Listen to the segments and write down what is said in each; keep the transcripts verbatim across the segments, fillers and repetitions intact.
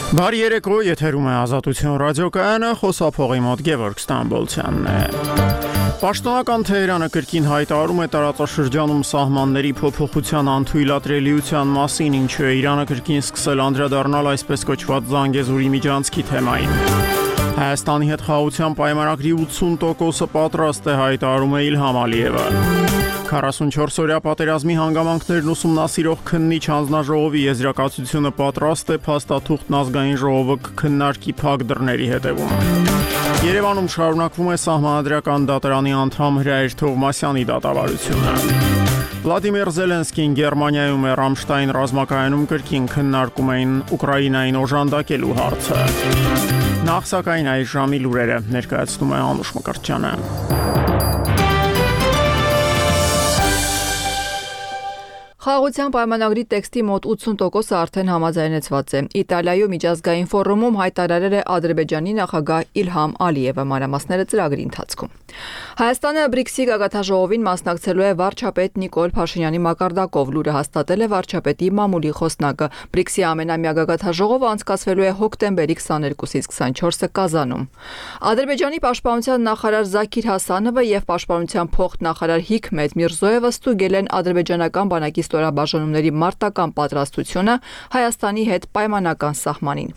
Բարի երեկո, եթերում է Ազատություն ռադիոկայանը, խոսափողի մոտ Գևորգ Ստամբոլցյանն է։ Պաշտոնական Թեհրանը կրկին հայտարարում է տարածաշրջանում սահմանների փոփոխության անթույլատրելիության մասին, ինչու է Իրանը կրկին սկսել անդրադառնալ այսպես կոչված Զանգեզուրի միջանցքի թեմային։ Հայաստանի հետ խաղաղության պայմանագրի ութսուն տոկոսը պատրաստ է, հայտարարում է Իլհամ Ալիևը։ քառասունչորս-օրյա պատերազմի հանգամանքներն ուսումնասիրող քննիչ հանձնաժողովի եզրակացությունը պատրաստ է, փաստաթուղթն ազգային ժողովը կքննարկի փակ դռների հետևում։ Երևանում շարունակվում է սահմանադրական դատարանի անդամ Հրայր Թովմասյանի դատավարությունը։ Վլադիմիր Զելենսկին Գերմանիայում է Ռամշտայն ռազմակայանում կրկին քննարկում էին Ուկրաինային օժանդակելու հարցը։ Նախ սակայն այս ժամի լուրերը ներկայացնում է Անուշ Մկրտչյանը։ Խաղաղության պայմանագրի տեքստի մոտ ութսուն տոկոսը արդեն համաձայնեցված է։ Իտալիայում միջազգային ֆորումում հայտարարել է Ադրբեջանի նախագահ Իլհամ Ալիևը, մանրամասները ծրագրի ընթացքում։ Հայաստանը բրիքսի գագաթնաժողովին մասնակցելու է վարչապետ Նիկոլ Փաշինյանի մակարդակով, լուրը հաստատել է վարչապետի մամուլի խոսնակը։ Բրիքսի ամենամյա գագաթնաժողովը անցկացվելու է հոկտեմբերի քսաներկուսից քսանչորսը Կազանում։ Ադրբեջանի պաշտպանության նախարար Զաքիր Հասանովը եւ պաշտպանության փոխնախարար Հիքմետ Միրզոևը ստուգել են ադրբեջանական բանակի ստորաբաժանումների մարտական պատրաստությունը Հայաստանի հետ պայմանական սահմանին։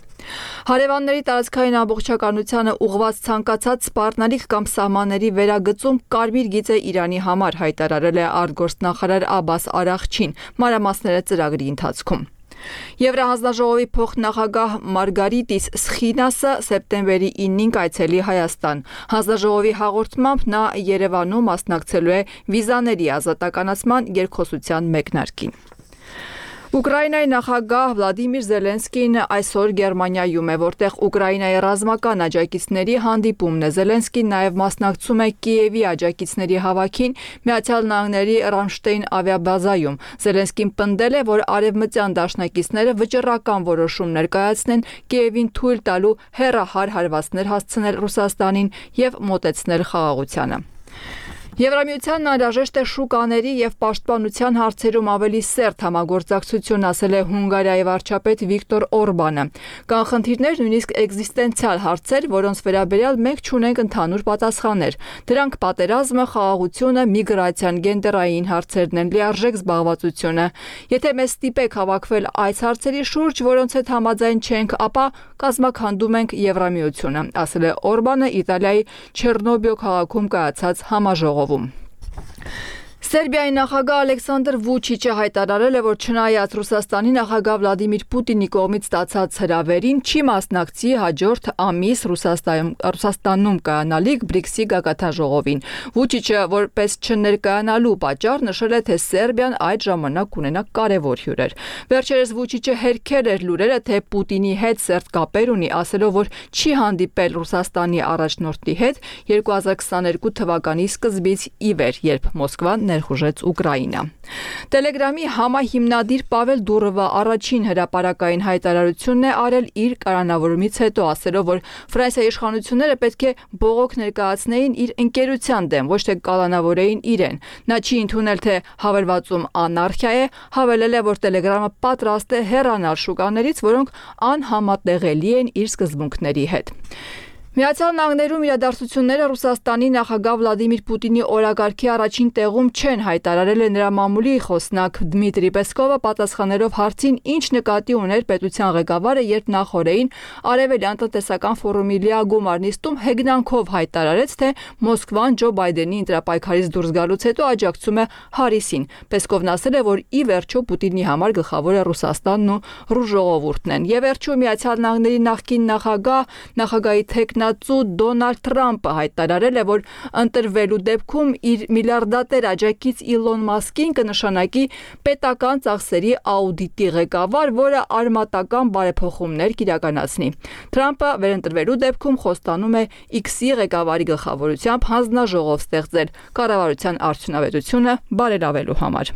Հարևանների տարածքային ամբողջականությանը ուղղված ցանկացած սպառնալիք կամ սահմանների վերագծում կարմիր գիծ է Իրանի համար, հայտարարել է արտգործնախարար Աբբաս Արաղչին, մանրամասները ծրագրի ընթացքում։ Եվրահանձնաժողովի փոխնախագահ Մարգարիտիս Սխինասը սեպտեմբերի ինին կայցելի Հայաստան։ Հանձնաժողովի հաղորդմամբ նա Երևանում մասնակցելու է վիզաների ազատականացման երկխոսության մեկնարկին։ Ուկրաինայի նախագահ Վլադիմիր Զելենսկին այսօր Գերմանիայում է, որտեղ Ուկրաինայի ռազմական աջակիցների հանդիպումն է։ Զելենսկին նաև մասնակցում է Կիևի աջակիցների հավաքին Միացյալ Նահանգների Ռամշտեյն ավիաբազայում։ Զելենսկին պնդել է, որ արևմտյան դաշնակիցները վճռական որոշում ներկայացնեն Կիևին թույլ տալու հեռահար հարվածներ հասցնել Ռուսաստանին եւ մոտեցնել խաղաղությանը։ Եվրամիությանն անհրաժեշտ է շուկաների եւ պաշտպանության հարցերում ավելի սերտ համագործակցություն, ասել է Հունգարիայի վարչապետ Վիկտոր Օրբանը։ Կան խնդիրներ, նույնիսկ էկզիստենցիալ հարցեր, որոնց վերաբերյալ մենք չունենք ընդհանուր պատասխաններ։ Դրանք պատերազմը, խաղաղությունը, միգրացիան, գենդերային հարցերն են, լիարժեք զբաղվածությունը։ Եթե մեզ ստիպեք հավաքվել այս հարցերի շուրջ, որոնց հետ համաձայն չենք, ապա կազմաքանդում ենք Եվրամիությունը, ասել է Օրբանը Իտալիայի Չեռնոբիո քաղաքում կայացած համաժողովում։ Սերբիայի նախագահ Ալեքսանդր Վուչիչը հայտարարել է, որ չնայած Ռուսաստանի նախագահ Վլադիմիր Պուտինի կողմից ստացած հրավերին, չի մասնակցի հաջորդ ամիս Ռուսաստանում, Ռուսաստանում կայանալիք բրիքսի գագաթնաժողովին։ Վուչիչը որպես չներկայանալու պատճառ նշել է, թե Սերբիան այդ ժամանակ կունենա կարևոր հյուրեր։ Վերջերս Վուչիչը հերքել էր լուրերը, թե Պուտինի հետ սերտ կապեր ունի, ասելով, որ չի հանդիպել Ռուսաստանի առաջնորդի հետ երկու հազար քսաներկու թվականի սկզբից ի վեր, երբ Մոսկվան ներխուժեց Ուկրաինա։ Տելեգրամի համահիմնադիր Պավել Դուրովը առաջին հրապարակային հայտարարությունն է արել իր կառավարումից հետո, ասելով, որ Ֆրանսիայի իշխանությունները պետք է բողոք ներկայացնեին իր ընկերության դեմ, ոչ թե կալանավորեին իրեն։ Նա չի ընդունել, թե հավելվածում անարխիա է, հավելել է, որ Տելեգրամը պատրաստ է հեռանալ շուկաներից, որոնք անհամատեղելի են իր սկզբունքների հետ։ Միացյալ Նահանգներում իրադարձությունները Ռուսաստանի նախագահ Վլադիմիր Պուտինի օրակարգի առաջին տեղում չեն, հայտարարել է նրա մամուլի խոսնակ Դմիտրի Պեսկովը, պատասխանելով հարցին, ինչ նկատի ուներ պետության ղեկավարը, երբ նախորդին Արևելյան տնտեսական ֆորումի լիագումար նիստում հեգնանքով հայտարարեց, թե Մոսկվան Ջո Բայդենի ընտրապայքարից դուրս գալուց հետո աջակցում է Հարիսին։ Պեսկովն ասել է, որ ի վերջո Պուտինի համար գլխավորը Ռուսաստանն ու ռուս ժողովուրդն են։ Եվ վերջում Միացյալ Նահանգների նախկին նախագահ, նախագահի թեկնածու Դոնալդ Թրամփը հայտարարել է, որ ընտրվելու դեպքում իր միլիարդատեր աջակից Իլոն Մասկին կնշանակի պետական ծախսերի աուդիտի ղեկավար, որը արմատական բարեփոխումներ կիրականացնի։ Թրամփը վերընտրվելու դեպքում խոստանում է X-ի ղեկավարի գլխավորությամբ հանձնաժողով ստեղծել կառավարության արդյունավետությունը բարելավելու համար։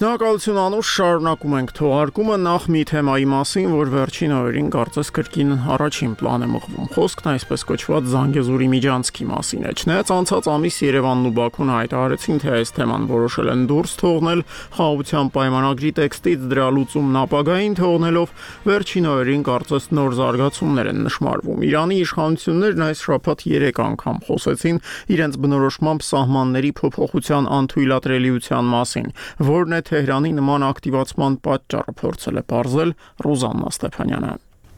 Շնորհակալություն Անուշ, շարունակում ենք թողարկումը նախ մի թեմայի մասին, որ վերջին օրերին կարծես կրկին առաջին պլան է մղվում։ Խոսքն այսպես կոչված Զանգեզուրի միջանցքի մասին է։ Չնայած անցած ամիս Երևանն ու Բաքուն հայտարարեցին, թե այս թեման որոշել են դուրս թողնել խաղաղության պայմանագրի տեքստից, դրա լուծումն ապագային թողնելով, վերջին օրերին կարծես նոր զարգացումներ են նշմարվում։ Իրանի իշխանություններն այս շաբաթ երեք անգամ խոսեցին իրենց բնորոշմամբ սահմանների փոփոխության անթույլատրելիության մասին, որն է Թեհրանի նման ակտիվացման պատճառը փորձել է պարզել Ռուզաննա Ստեփանյանը։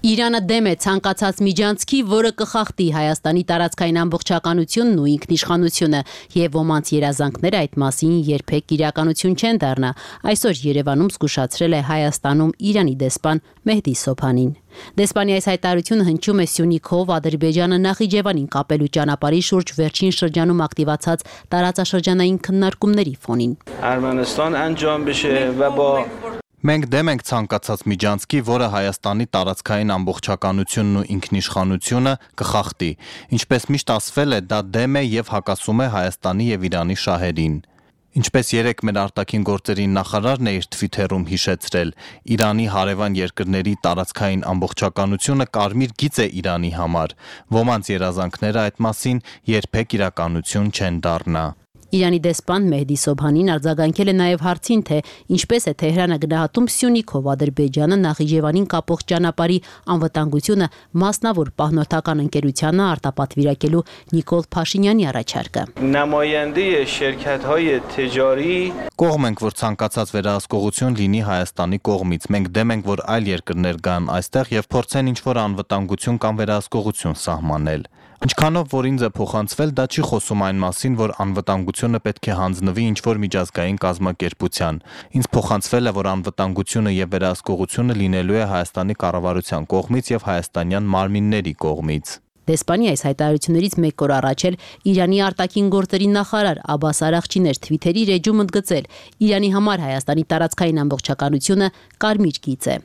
Իրանը դեմ է ցանկացած միջանցքի, որը կխախտի Հայաստանի տարածքային ամբողջականությունն ու ինքնիշխանությունը, եւ ոմանց երազանքները այդ մասին երբեք իրականություն չեն դառնա։ Այսօր Երևանում զգուշացրել է Հայաստանում Իրանի դեսպան Մեհդի Սոբհանին։ Դեսպանի այս հայտարարությունը հնչում է Սյունիքով Ադրբեջանը Նախիջևանին կապելու ճանապարհի շուրջ վերջին շրջանում ակտիվացած տարածաշրջանային քննարկումների ֆոնին։ Արմենստան անջամ բշե və با Մենք դեմ ենք ցանկացած միջանցքի, որը Հայաստանի տարածքային ամբողջականությունն ու ինքնիշխանությունը կխախտի։ Ինչպես միշտ ասվել է, դա դեմ է եւ հակասում է Հայաստանի եւ Իրանի շահերին։ Ինչպես երեք մեր արտաքին գործերի նախարարն է իր թվիթերում հիշեցրել, Իրանի հարևան երկրների տարածքային ամբողջականությունը կարմիր գիծ է Իրանի համար։ Ոմանց երազանքները այդ մասին երբեք իրականություն չեն դառնա։ Իրանի դեսպան Մեհդի Սոբհանին արձագանքել է նաև հարցին, թե ինչպես է Թեհրանը գնահատում Սյունիքով Ադրբեջանը Նախիջևանին կապող ճանապարհի անվտանգությունը մասնավոր պահնորդական ընկերությանը արտապատվիրակելու Նիկոլ Փաշինյանի առաջարկը։ Նամայենդե շերքաթهای تجاری Կողմ ենք, որ ցանկացած վերահսկողություն լինի Հայաստանի կողմից։ Մենք դեմ ենք, որ այլ երկրներ գան այստեղ եւ փորձեն ինչ-որ անվտանգություն կամ վերահսկողություն սահմանել։ Ինչքանով որ ինձ է փոխանցվել, դա չի խոսում այն մասին, որ անվտանգությունը պետք է հանձնվի ինչ-որ միջազգային կազմակերպության։ Ինձ փոխանցվել է, որ անվտանգությունը եւ վերահսկողությունը լինելու է Հայաստանի կառավարության կողմից եւ հայաստանյան մարմինների կողմից։ Դեսպանի այս հայտարարություններից մեկ օր առաջ էլ Իրանի արտաքին գործերի նախարար Աբբաս Արաղչին էր Թվիթերի էջում ընդգծել. Իրանի համար Հայաստանի տարածքային ամբողջականությունը կարմիր գիծ է։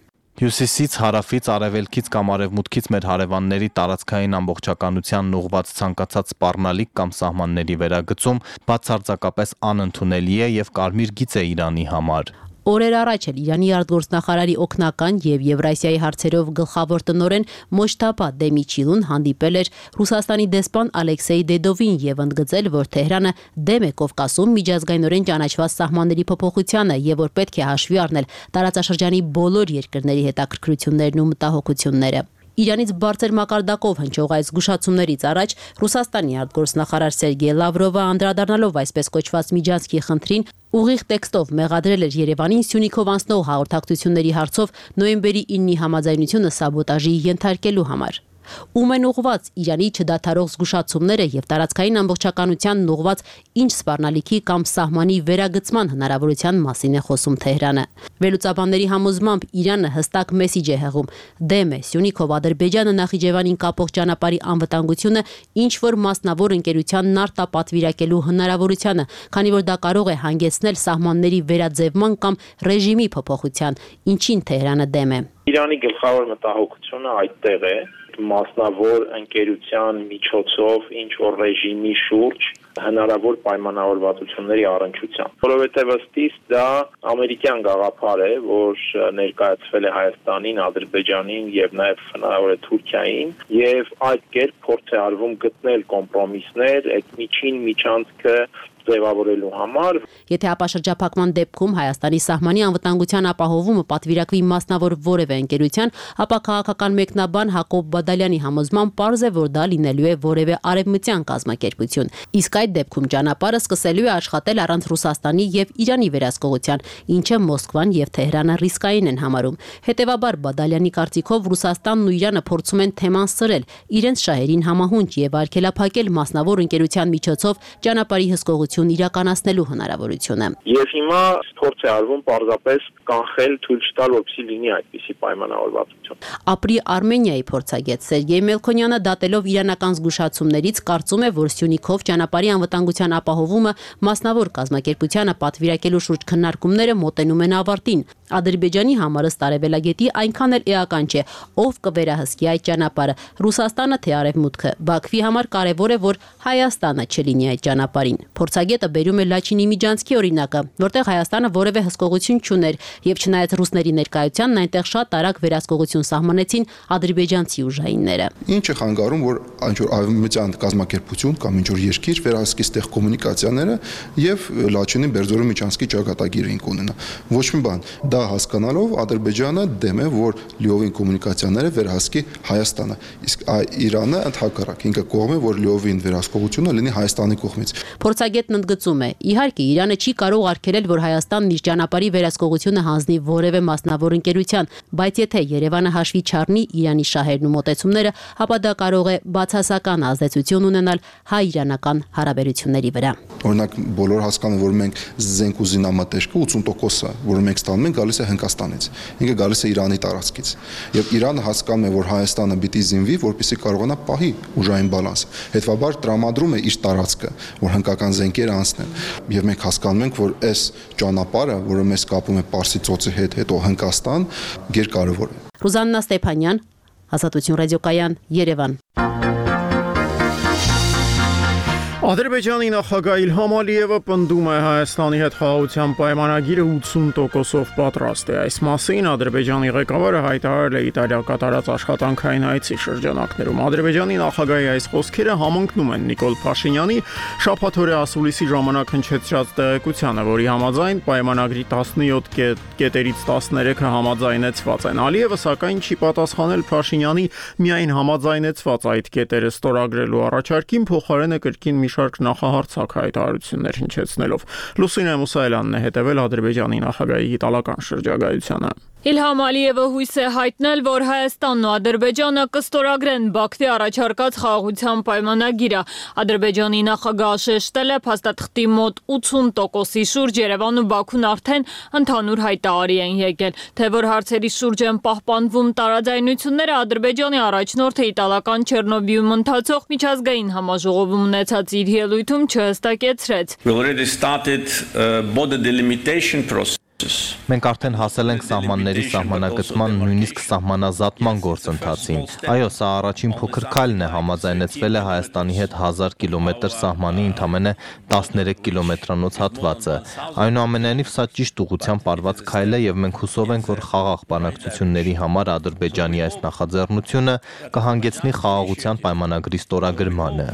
Հյուսիսից, հարավից, արևելքից կամ արևմուտքից մեր հարևանների տարածքային ամբողջականությանն ուղղված ցանկացած սպառնալիք կամ սահմանների վերագծում բացարձակապես անընդունելի է եւ կարմիր գիծ է Իրանի համար։ Օրեր առաջ էլ Իրանի արտգործնախարարի օգնական եւ Եվրասիայի հարցերով գլխավոր տնօրեն Մոջթաբա Դեմիչիլուն հանդիպել էր Ռուսաստանի դեսպան Ալեքսեյ Դեդովին եւ ընդգծել, որ Թեհրանը դեմ է Կովկասում միջազգայինորեն ճանաչված սահմանների փոփոխությանը եւ որ պետք է հաշվի առնել տարածաշրջանի բոլոր երկրների հետաքրքրություններն ու մտահոգությունները։ Իրանից բարձր մակարդակով հնչող այս զգուշացումներից առաջ Ռուսաստանի արտգործնախարար Սերգեյ Լավրովը անդրադառնալով այսպես կոչված միջանցքի խնդրին ուղիղ տեքստով մեղադրել էր Երևանին Սյունիքով անցնող հաղորդակցությունների հարցով նոյեմբերի իննի համաձայնությունը սաբոտաժի ենթարկելու համար։ Ում են ուղված Իրանի չդադարող զգուշացումները եւ տարածքային ամբողջականությանն ուղված ինչ սպառնալիքի կամ սահմանի վերագծման հնարավորության մասին է խոսում Թեհրանը։ Վերլուծաբանների համոզմամբ Իրանը հստակ մեսիջ է հղում. դեմ է Սյունիքով Ադրբեջանը Նախիջևանին կապող ճանապարհի անվտանգությունը ինչ որ մասնավոր ընկերությանն արտապատվիրակելու հնարավորությանը, քանի որ դա կարող է հանգեցնել սահմանների վերաձևման կամ ռեժիմի փոփոխության, ինչին Թեհրանը դեմ է։ Իրանի գլխավոր մտահոգությունը այդտեղ է մասնավոր ընկերության միջոցով ինչ որ ռեժիմի շուրջ հնարավոր պայմանավորվածությունների առնչությամբ, որովհետև ըստիս դա ամերիկյան գաղափար է, որ ներկայացվել է Հայաստանին, Ադրբեջանին եւ նաեւ հնարավոր է Թուրքիային, եւ այդ կերպ փորձ է արվում գտնել կոմպրոմիսներ այդ միջին միջանցքը ձևավորելու համար։ Եթե ապաշրջափակման դեպքում Հայաստանի սահմանի անվտանգության ապահովումը պատվիրակվի մասնավոր որևէ ընկերության, ապա քաղաքական մեկնաբան Հակոբ Բադալյանի համոզմամբ պարզ է, որ դա լինելու է որևէ արևմտյան կազմակերպություն։ Իսկ այդ դեպքում ճանապարհը սկսելու է աշխատել առանց Ռուսաստանի եւ Իրանի վերահսկողության, ինչը Մոսկվան եւ Թեհրանը ռիսկային են համարում։ Հետևաբար Բադալյանի կարծիքով Ռուսաստանն ու Իրանը փորձում են թեման սրել իրենց շահերին համահունչ եւ արգելափակել մասնավոր ընկերության միջոցով ճանապարհի հսկողություն իրականացնելու հնարավորությունը։ Եվ հիմա փորձ է արվում պարզապես կանխել, թույլ չտալ, որպեսզի լինի այդպիսի պայմանավորվածություն։ Ապրի Արմենիայի փորձագետ Սերգեյ Մելքոնյանը դատելով իրանական զգուշացումներից կարծում է, որ Սյունիքով ճանապարհի անվտանգության ապահովումը մասնավոր կազմակերպությանը պատվիրակելու շուրջ քննարկումները մոտենում են ավարտին։ Ադրբեջանի համար ըստ արևելագետի այնքան էլ էական չէ, ով կվերահսկի այդ ճանապարհը՝ Ռուսաստանը թե Արևմուտքը։ Բաքվի համար կարևոր է, որ Հայաստանը չլինի այդ ճանապարհին։ Փորձագետը բերում է Լաչինի Միջանցքի օրինակը, որտեղ Հայաստանը որևէ հսկողություն չուներ, եւ չնայած ռուսների ներկայությանն այնտեղ շատ արագ վերահսկողություն սահմանեցին ադրբեջանցի ուժայինները։ Ինչ է խանգարում, որ ինչ որ արևմտյան կազմակերպություն կամ ինչ որ երկիր վերահսկի ստեղ կոմունիկացիաները եւ Լաչինի Բերձորի Միջանցքի ճակատագիրը ունենա։ Ոչ մի բան, դա հասկանալով Ադրբեջանը դեմ է, որ լիովին կոմունիկացիաները վերահսկի Հայաստանը, իսկ Իրանը ընդհակառակ ինքը կողմ է, որ լիովին վերահսկողությունը լինի Հայաստանի կողմից։ Փորձագետն ընդգծում է. իհարկե Իրանը չի կարող արգելել, որ Հայաստանն իր ճանապարհի վերահսկողությունը հանձնի որևէ մասնավոր ընկերության, բայց եթե Երևանը հաշվի չառնի Իրանի շահերն ու մոտեցումները, ապա դա կարող է բացասական ազդեցություն ունենալ հայ-իրանական հարաբերությունների վրա։ Օրինակ բոլոր հասկանում, որ մենք զենք ու զինամթերքը ութսուն տոկոսը, որը մենք ստանում ենք, գալիս է Հնդկաստանից։ Ինքը գալիս է Իրանի տարածքից։ Եվ Իրանը հասկանում է, որ Հայաստանը պիտի զինվի, որպեսզի կարողանա պահի ուժային բալանսը։ Հետևաբար տրամադրում է իր տարածքը, որ հնդկական զենքերը անցնեն։ Եվ մենք հասկանում ենք, որ այս ճանապարհը, որը մեզ կապում է Պարսից ծոցի հետ, հետո Հնդկաստան, գերկարևոր է։ Ռուզաննա Ստեփանյան, Ազատություն ռադիոկայան, Երևան։ Ադրբեջանի նախագահ Իլհամ Ալիևը պնդում է Հայաստանի հետ խաղաղության պայմանագիրը ութսուն տոկոսով պատրաստ է։ Այս մասին Ադրբեջանի ղեկավարը հայտարարել է Իտալիա կատարած աշխատանքային այցի շրջանակներում։ Ադրբեջանի նախագահի այս խոսքերը համընկնում են Նիկոլ Փաշինյանի շաբաթօրյա ասուլիսի ժամանակ հնչեցրած տեղեկությանը, որի համաձայն պայմանագրի տասնյոթ կետերից տասներեքը համաձայնեցված են։ Ալիևը սակայն չի պատասխանել Փաշինյանի միայն համաձայնեցված այդ կետերը ստորագրելու առաջարկին, փոխարենը կրկին մի շարք նախահարցակ հայտարարություններ հնչեցնելով։ Լուսինե Մուսայելյանն է հետևել Ադրբեջանի նախագահի իտալական շրջագայությանը։ Իլհամ Ալիևը հույս է հայտնել, որ Հայաստանն ու Ադրբեջանը կստորագրեն Բաքվի առաջարկած խաղաղության պայմանագիրը։ Ադրբեջանի նախագահը շեշտել է փաստաթղթի մոտ ութսուն տոկոսի շուրջ Երևան ու Բաքուն արդեն ընդհանուր հայտարարի են եկել, թե որ հարցերի շուրջ են պահպանվում տարաձայնությունները Ադրբեջանի առաջնորդը իտալական Չեռնոբիում ընթացող միջազգային համաժողովում ունեցած իր ելույթում չհստակեցրեց։ We already started a border delimitation process. Մենք արդեն հասել ենք սահմանների սահմանագծման, նույնիսկ սահմանազատման գործընթացին։ Այո, սա առաջին փոքր քայլն է, համաձայնեցվել է Հայաստանի հետ հազար կիլոմետր սահմանի ընդամենը տասներեք կիլոմետրանոց հատվածը։ Այնուամենայնիվ սա ճիշտ ուղղությամբ արված քայլ է եւ մենք հուսով ենք, որ խաղաղ բանակցությունների համար Ադրբեջանի այս նախաձեռնությունը կհանգեցնի խաղաղության պայմանագրի ստորագրմանը։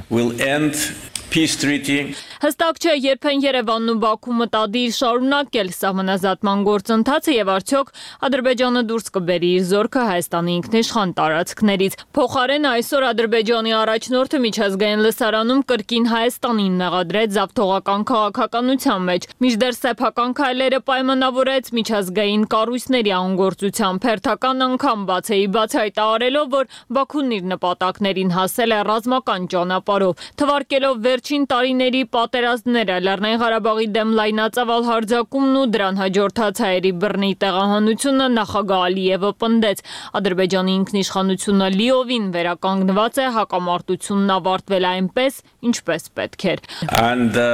Հստակ չէ, երբեն Երևանն ու Բաքու մտադիր շարունակել սահմանազատման գործընթացը եւ արդյոք Ադրբեջանը դուրս կբերի իր զորքը Հայաստանի ինքնիշխան տարածքներից։ Փոխարենը այսօր Ադրբեջանի առաջնորդը միջազգային լսարանում կրկին Հայաստանին մեղադրեց զավթողական քաղաքականության մեջ։ Մինչդեռ սեփական քայլերը պայմանավորեց միջազգային կառույցների անգործությամբ, հերթական անգամ բացեի բաց հայտարարելով, որ Բաքուն իր նպատակներին հասել է ռազմական ճանապարհով, թվարկելով վերջին տարիների պատերազմները, Լեռնային Ղարաբաղի դեմ լայնածավալ հարձակումն ու դրան հաջորդած հայերի բռնի տեղահանությունը նախագահ Ալիևը պնդեց։ Ադրբեջանի ինքնիշխանությունը լիովին վերականգնված է, հակամարտությունն ավարտվել այնպես, ինչպես պետք էր։ And the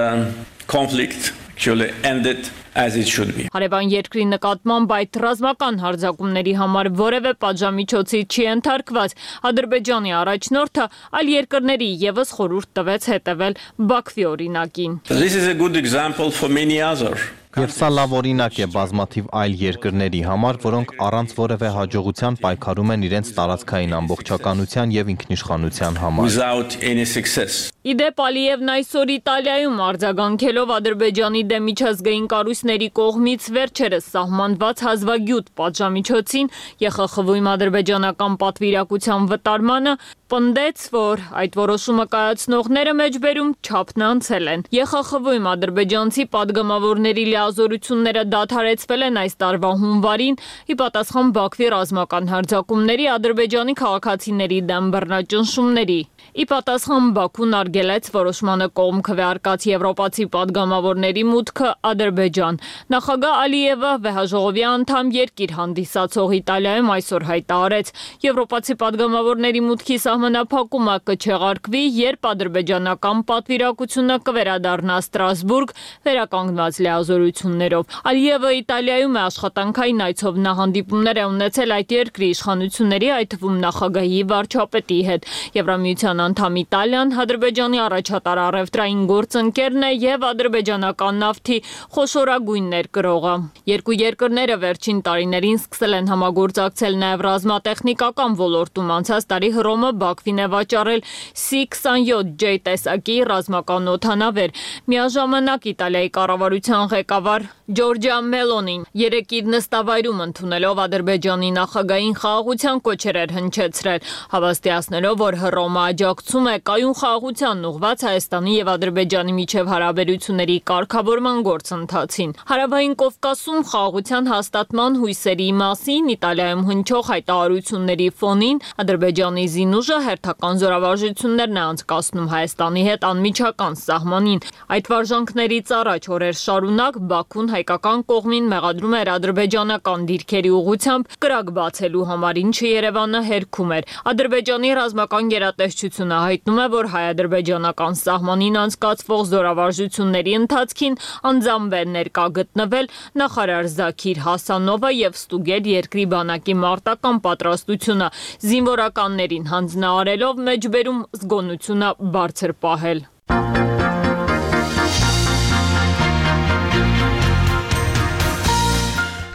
conflict actually ended as it should be. Հարևան երկրի նկատմամբ այդ ռազմական հարձակումների համար որևէ պատժամիջոցի չի ենթարկված։ Ադրբեջանի առաջնորդը այլ երկրների եւս խորհուրդ տվեց հետևել Բաքվի օրինակին։ This is a good example for many other. Եվ սա լավ օրինակ է բազմաթիվ այլ երկրների համար, որոնք առանց որևէ հաջողության պայքարում են իրենց տարածքային ամբողջականության եւ ինքնիշխանության համար։ Without any success. Իդեպ Ալիևն այսօր Իտալիայում արձագանքելով Ադրբեջանի դեմ միջազգային կառույցների կողմից վերջերս սահմանված հազվագյուտ պատժամիջոցին ԵԽԽՎ-ում ադրբեջանական պատվիրակության վտարմանը պնդեց, որ այդ որոշումը կայացնողները մեջբերում չափն անցել են։ ԵԽԽՎ-ում ադրբեջանցի падգամավորների լիազորությունները դադարեցվել են այս տարվա հունվարին ի պատասխան Բաքվի ռազմական հարձակումների Ադրբեջանի քաղաքացիների դեմ բռնաճնշումների։ Ի պատասխան Բաքուն արգելեց որոշմանը կողմ քվեարկած եվրոպացի падգամավորների մուտքը Ադրբեջան։ Նախագահ Ալիևը վեհաժողովի անդամ երկիր հանդիսացող Իտալիայում այսօր հայտարարեց, եվրոպացի падգամավորների մուտքի սահմանափակումը կչեղարկվի, երբ ադրբեջանական պատվիրակությունը կվերադառնա Ստրասբուրգ վերականգնված լիազորությունների հայտարարություններով։ Ալիևը Իտալիայում է աշխատանքային այցով, նա հանդիպումներ է ունեցել այդ երկրի իշխանությունների, այդ թվում նախագահի, վարչապետի հետ։ Եվրամիության անդամ Իտալիան Ադրբեջանի առաջատար առևտրային գործընկերն է եւ ադրբեջանական նավթի խոշորագույն ներկրողը։ Երկու երկրները վերջին տարիներին սկսել են համագործակցել նաեւ ռազմատեխնիկական ոլորտում։ Անցած տարի Հռոմը Բաքվին է վաճառել սի քսանյոթ ջե տեսակի ռազմական օդանավեր։ Միաժամանակ Իտալիայի կառավարության ղեկավար Ջորջիա Մելոնին երեկ իր նստավայրում ընդունելով Ադրբեջանի նախագահին խաղաղության կոչեր էր հնչեցրել, հավաստիացնելով, որ Հռոմը աջակցում է կայուն խաղաղությանն ուղղված Հայաստանի եւ Ադրբեջանի միջև հարաբերությունների կարգավորման գործընթացին։ Հարավային Կովկասում խաղաղության հաստատման հույսերի մասին Իտալիայում հնչող հայտարարությունների ֆոնին Ադրբեջանի զինուժը հերթական զորավարժություններն է անցկացնում Հայաստանի հետ անմիջական սահմանին։ Այդ վարժանքներից առաջ օրեր շարունակ Բաքուն հայկական կողմին մեղադրում էր ադրբեջանական դիրքերի ուղղությամբ կրակ բացելու համար, ինչը Երևանը հերքում էր։ Ադրբեջանի ռազմական գերատեսչությունը հայտնում է, որ հայ-ադրբեջանական սահմանին անցկացվող զորավարժությունների ընթացքին անձամբ է ներկա գտնվել նախարար Զաքիր Հասանովը եւ ստուգել երկրի բանակի մարտական պատրաստությունը, զինվորականներին հանձնարարելով մեջբերում զգոնությունը բարձր պահել։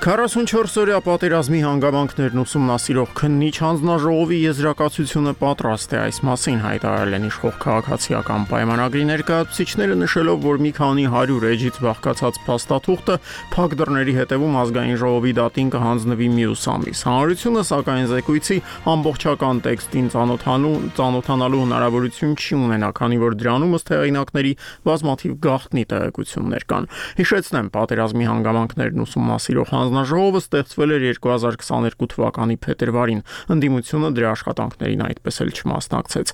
քառասունչորս-օրյա պատերազմի հանգամանքներն ուսումնասիրող քննիչ հանձնաժողովի եզրակացությունը պատրաստ է այս մասին հայտարարել են իշխող քաղաքացիական պայմանագրի ներկայացուցիչները, նշելով, որ մի քանի հարյուր էջից բաղկացած փաստաթուղթը փակ դռների հետևում ազգային ժողովի դատին կհանձնվի մյուս ամիս։ Հանրությունը, սակայն, զեկույցի ամբողջական տեքստին ծանոթանալու ծանոթանալու հնարավորություն չի ունենա, քանի որ դրանում ըստ հեղինակների բազմաթիվ գաղտնի տեղեկություններ կան։ Հիշեցնեմ, պատերազմի հանգամանքներն ուսումնասիրող հանձնաժողովը ստեղծվել էր երկու հազար քսաներկու թվականի փետրվարին, ընդդիմությունը դրա աշխատանքներին այդպես էլ չմասնակցեց։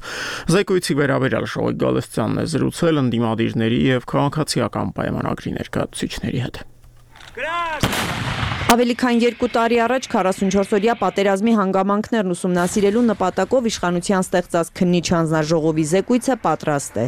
Զեկույցի վերաբերյալ Շողիկ Գալստյանն է զրուցել ընդդիմադիրների եւ քաղաքացիական պայմանագրի ներկայացուցիչների հետ։ Ավելի քան երկու տարի առաջ քառասունչորս-օրյա պատերազմի հանգամանքներն ուսումնասիրելու նպատակով իշխանության ստեղծած քննիչ հանձնաժողովի զեկույցը պատրաստ է,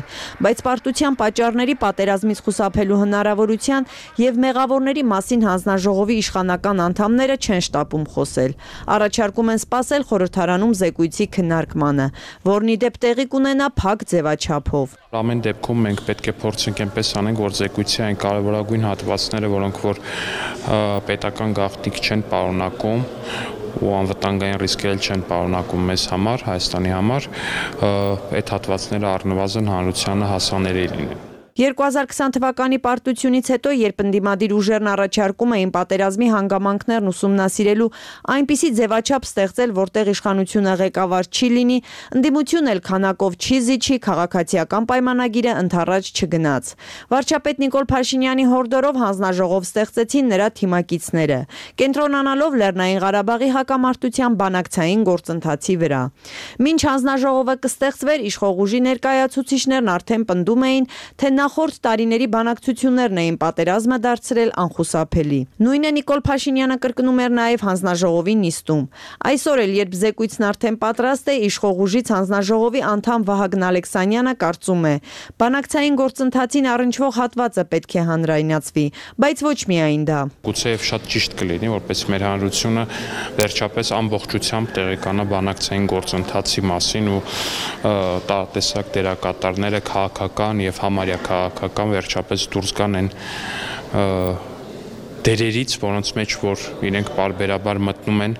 բայց պարտության պատճառների պատերազմից խուսափելու հնարավորության եւ մեղավորների մասին հանձնաժողովի իշխանական անդամները չեն շտապում խոսել։ Առաջարկում են սպասել խորհրդարանում զեկույցի քննարկմանը, որն ի դեպ տեղի կունենա փակ ձևաչափով։ Ամեն դեպքում մենք պետք է փորձենք այնպես անենք, որ զեկույցի այն կարևորագույն հատվածները, որոնք որ պետական գաղտնիք չեն պարունակում ու անվտանգային ռիսկեր չեն պարունակում մեզ համար, Հայաստանի համար, այդ հատվածները առնվազն հանրությանը հասանելի լինեն։ երկու հազար քսան թվականի պարտությունից հետո, երբ ընդդիմադիր ուժերն առաջարկում էին պատերազմի հանգամանքներն ուսումնասիրելու այնպիսի ձևաչափ ստեղծել, որտեղ իշխանությունը ղեկավար չի լինի, ընդդիմությունն էլ քանակով չի զիջի, քաղաքացիական պայմանագիրը ընդառաջ չգնաց։ Վարչապետ Նիկոլ Փաշինյանի հորդորով հանձնաժողով ստեղծեցին նրա թիմակիցները, կենտրոնանալով Լեռնային Ղարաբաղի հակամարտության բանակցային գործընթացի վրա։ Մինչ հանձնաժողովը կստեղծվեր, իշխող ուժի ներկայացուցիչներն արդեն պնդում էին, թե նախորդ տարիների բանակցություններն էին պատերազմը դարձրել անխուսափելի։ Նույնը Նիկոլ Փաշինյանը կրկնում էր նաև հանձնաժողովի նիստում։ Այսօր էլ, երբ զեկույցն արդեն պատրաստ է, իշխող ուժից հանձնաժողովի անդամ Վահագն Ալեքսանյանը կարծում է, բանակցային գործընթացին առնչվող հատվածը պետք է հանրայնացվի, բայց ոչ միայն դա։ Գուցեև շատ ճիշտ կլինի, որպես մեր հանրությունը վերջապես ամբողջությամբ տեղեկանա բանակցային գործընթացի մասին ու տարատեսակ դերակատարները քաղաքական եւ համարյա քաղաքական վերջապես դուրս գան այն դերերից, որոնց մեջ որ իրենք պարբերաբար մտնում են,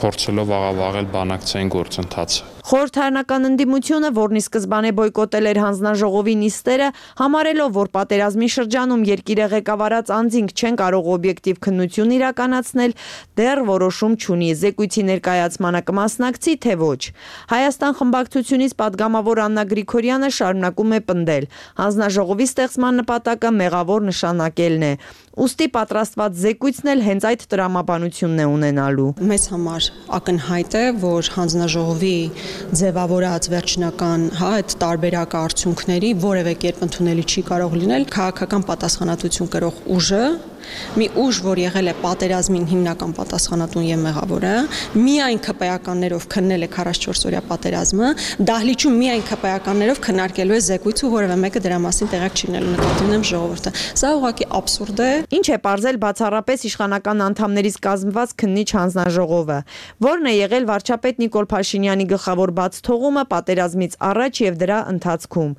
փորձելով աղավաղել բանակցային գործընթացը։ Խորհրդարանական ընդդիմությունը, որն ի սկզբանե բոյկոտել էր հանձնաժողովի նիստերը, համարելով, որ պատերազմի շրջանում երկիրը ղեկավարած անձինք չեն կարող օբյեկտիվ քննություն իրականացնել, դեռ որոշում չունի, զեկույցի ներկայացմանը կմասնակցի, թե ոչ։ Հայաստան խմբակցությունից падգամավոր Աննա Գրիգորյանը շարունակում է պնդել, հանձնաժողովի ստեղծման նպատակը մեղավոր նշանակելն է, ուստի պատրաստված զեկույցն էլ հենց այդ տրամաբանությունն է ունենալու։ Մեզ համար ակնհայտ է, որ հանձնաժողովի ձևավորած վերջնական հա այդ տարբերակ արդյունքների որևէ կերպ ընդունելի չի կարող լինել քաղաքական պատասխանատվություն կրող ուժը մի ուժ, որ եղել է պատերազմին հիմնական պատասխանատուն եւ մեղավորը, միայն ԿՊԵ-ականներով քննել է քառասունչորս օրյա պատերազմը, դահլիճում միայն ԿՊԵ-ականներով քննարկելու է զեկույց ու որևէ մեկը դրա մասին տեղյակ չի լինելու, նկատի ունեմ ժողովուրդը։ Սա ուղղակի աբսուրդ է։ Ինչ է պարզել բացառապես իշխանական անդամներից կազմված քննիչ հանձնաժողովը, որն է եղել վարչապետ Նիկոլ Փաշինյանի գլխավոր բացթողումը պատերազմից առաջ եւ դրա ընթացքում։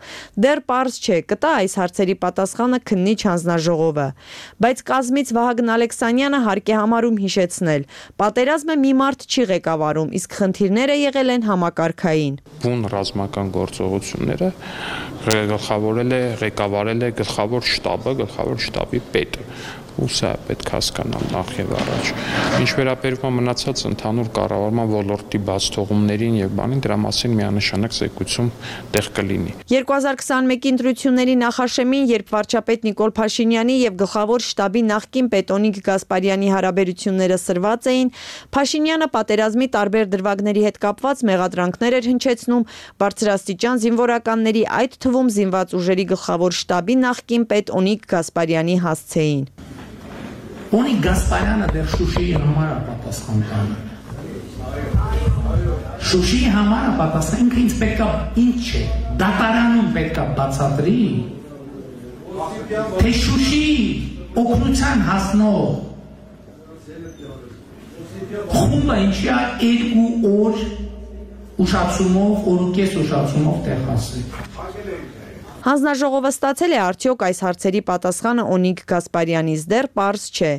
Դեռ պարզ չէ, կտա այս հարցերի պատասխանը քննիչ հանձնաժողովը, բայց կազմից Վահագն Ալեքսանյանը հարկ է համարում հիշեցնել. պատերազմը մի մարդ չի ղեկավարում, իսկ խնդիրները եղել են համակարգային։ Բուն ռազմական գործողությունները գլխավորել է, ղեկավարել է գլխավոր շտաբը, գլխավոր շտաբի պետը։ Ու սա պետք հասկանալ նախ եւ առաջ։ Ինչ վերաբերում է մնացած ընդհանուր կառավարման ոլորտի բացթողումներին եւ բանին, դրա մասին միանշանակ զեկույցում տեղ կլինի։ երկու հազար քսաներկու ընտրությունների նախաշեմին, երբ վարչապետ Նիկոլ Փաշինյանի եւ գլխավոր շտաբի նախկին պետ Օնիկ Գասպարյանի հարաբերությունները սրված էին, Փաշինյանը պատերազմի տարբեր դրվագների հետ կապված մեղադրանքներ էր հնչեցնում բարձրաստիճան զինվորականների, այդ թվում զինված ուժերի գլխավոր շտաբի նախկին պետ Օնիկ Գասպարյանի հասցեին։ Օնիկ Գասպարյանը դեռ Շուշիի համար է պատասխան տալու։ Շուշիի համար է պատասխան, ինքը ինձ պետքա ինչ է, դատարանում պետքա բացատրի, թե Շուշիի օգնության հասնող խումբը ինչի է երկու օր ուշացումով, օր ու կես ուշացումով տեղ հասի։ Հանձնաժողովը ստացել է արդյոք այս հարցերի պատասխանը Օնիկ Գասպարյանից, դեռ պարզ չէ։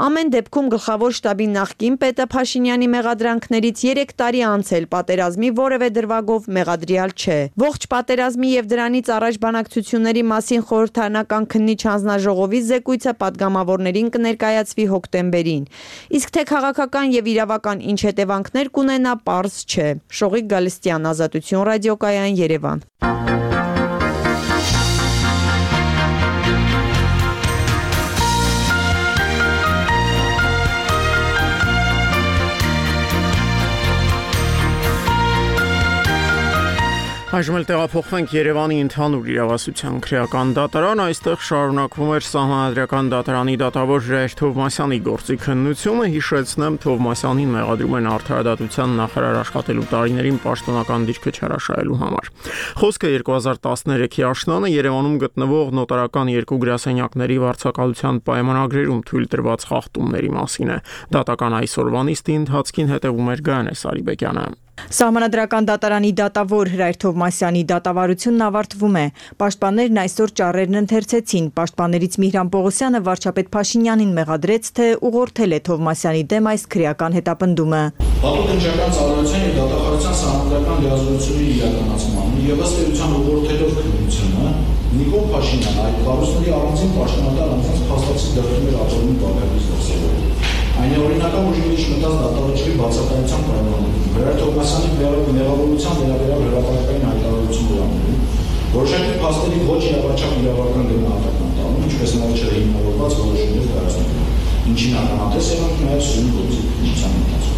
Ամեն դեպքում գլխավոր շտաբի նախկին պետը Փաշինյանի մեղադրանքներից երեք տարի անց էլ պատերազմի որևէ դրվագով մեղադրյալ չէ։ Ողջ պատերազմի եւ դրանից առաջ բանակցությունների մասին խորհրդարանական քննիչ հանձնաժողովի զեկույցը падգամավորներին կներկայացվի հոկտեմբերին։ Իսկ թե քաղաքական եւ իրավական ինչ հետևանքներ կունենա, պարզ չէ։ Շողիկ Գալստյան, Ազատություն ռադիոկայան, Երևան։ Այժմ էլ տեղափոխվենք Երևանի ընդհանուր իրավասության քրեական դատարան, այստեղ շարունակվում էր Սահմանադրական դատարանի դատավոր Ժայր Թովմասյանի գործի քննությունը, հիշեցնեմ, Թովմասյանին մեղադրում են արդարադատության նախարար աշխատելու տարիներին պաշտոնական դիրքը չհրաշայելու համար։ Խոսքը երկու հազար տասներեքի աշնանը Երևանում գտնվող նոտարական երկու գրասենյակների վարձակալության պայմանագրերում թույլ տրված խախտումների մասին է։ Դատական այսօրվա նիստի ընթացքին հետևում էր Գայանե Սարիբեկյանը։ Սահմանադրական դատարանի դատավոր Հրայր Թովմասյանի դատավարությունն ավարտվում է։ Պաշտպաններն այսօր ճառերն ընթերցեցին։ Պաշտպաններից Միհրան Պողոսյանը վարչապետ Փաշինյանին մեղադրեց, թե ուղղորդել է Թովմասյանի դեմ այս քրեական հետապնդումը։ Հատուկ ընկերական ծառայության եւ դատախազության սահմանադրական լիազորությունների իրականացմանը եւ ըստ էության ուղղորդելով քննությունը Նիկոլ Փաշինյանը այդ կառույցների առանձին պաշտոնատար անձանց փաստացի դրդում էր ապօրինի բաղկացից դրսևորել։ Այն է օրինական ուժի մեջ մտած դատավորի բացակայության պայմաններում։ Հրայր Թովմասյանի մեղավորության վերաբերյալ հրապարակային հայտարարություն դրանում, որոշակի փաստերի ոչ իրավաչափ իրավական գնահատական տալու, ինչպես նաև չհիմնավորված որոշումներ կայացնելու, ինչին ականատես եղանք նաև սույն գործի քննության ընթացքում։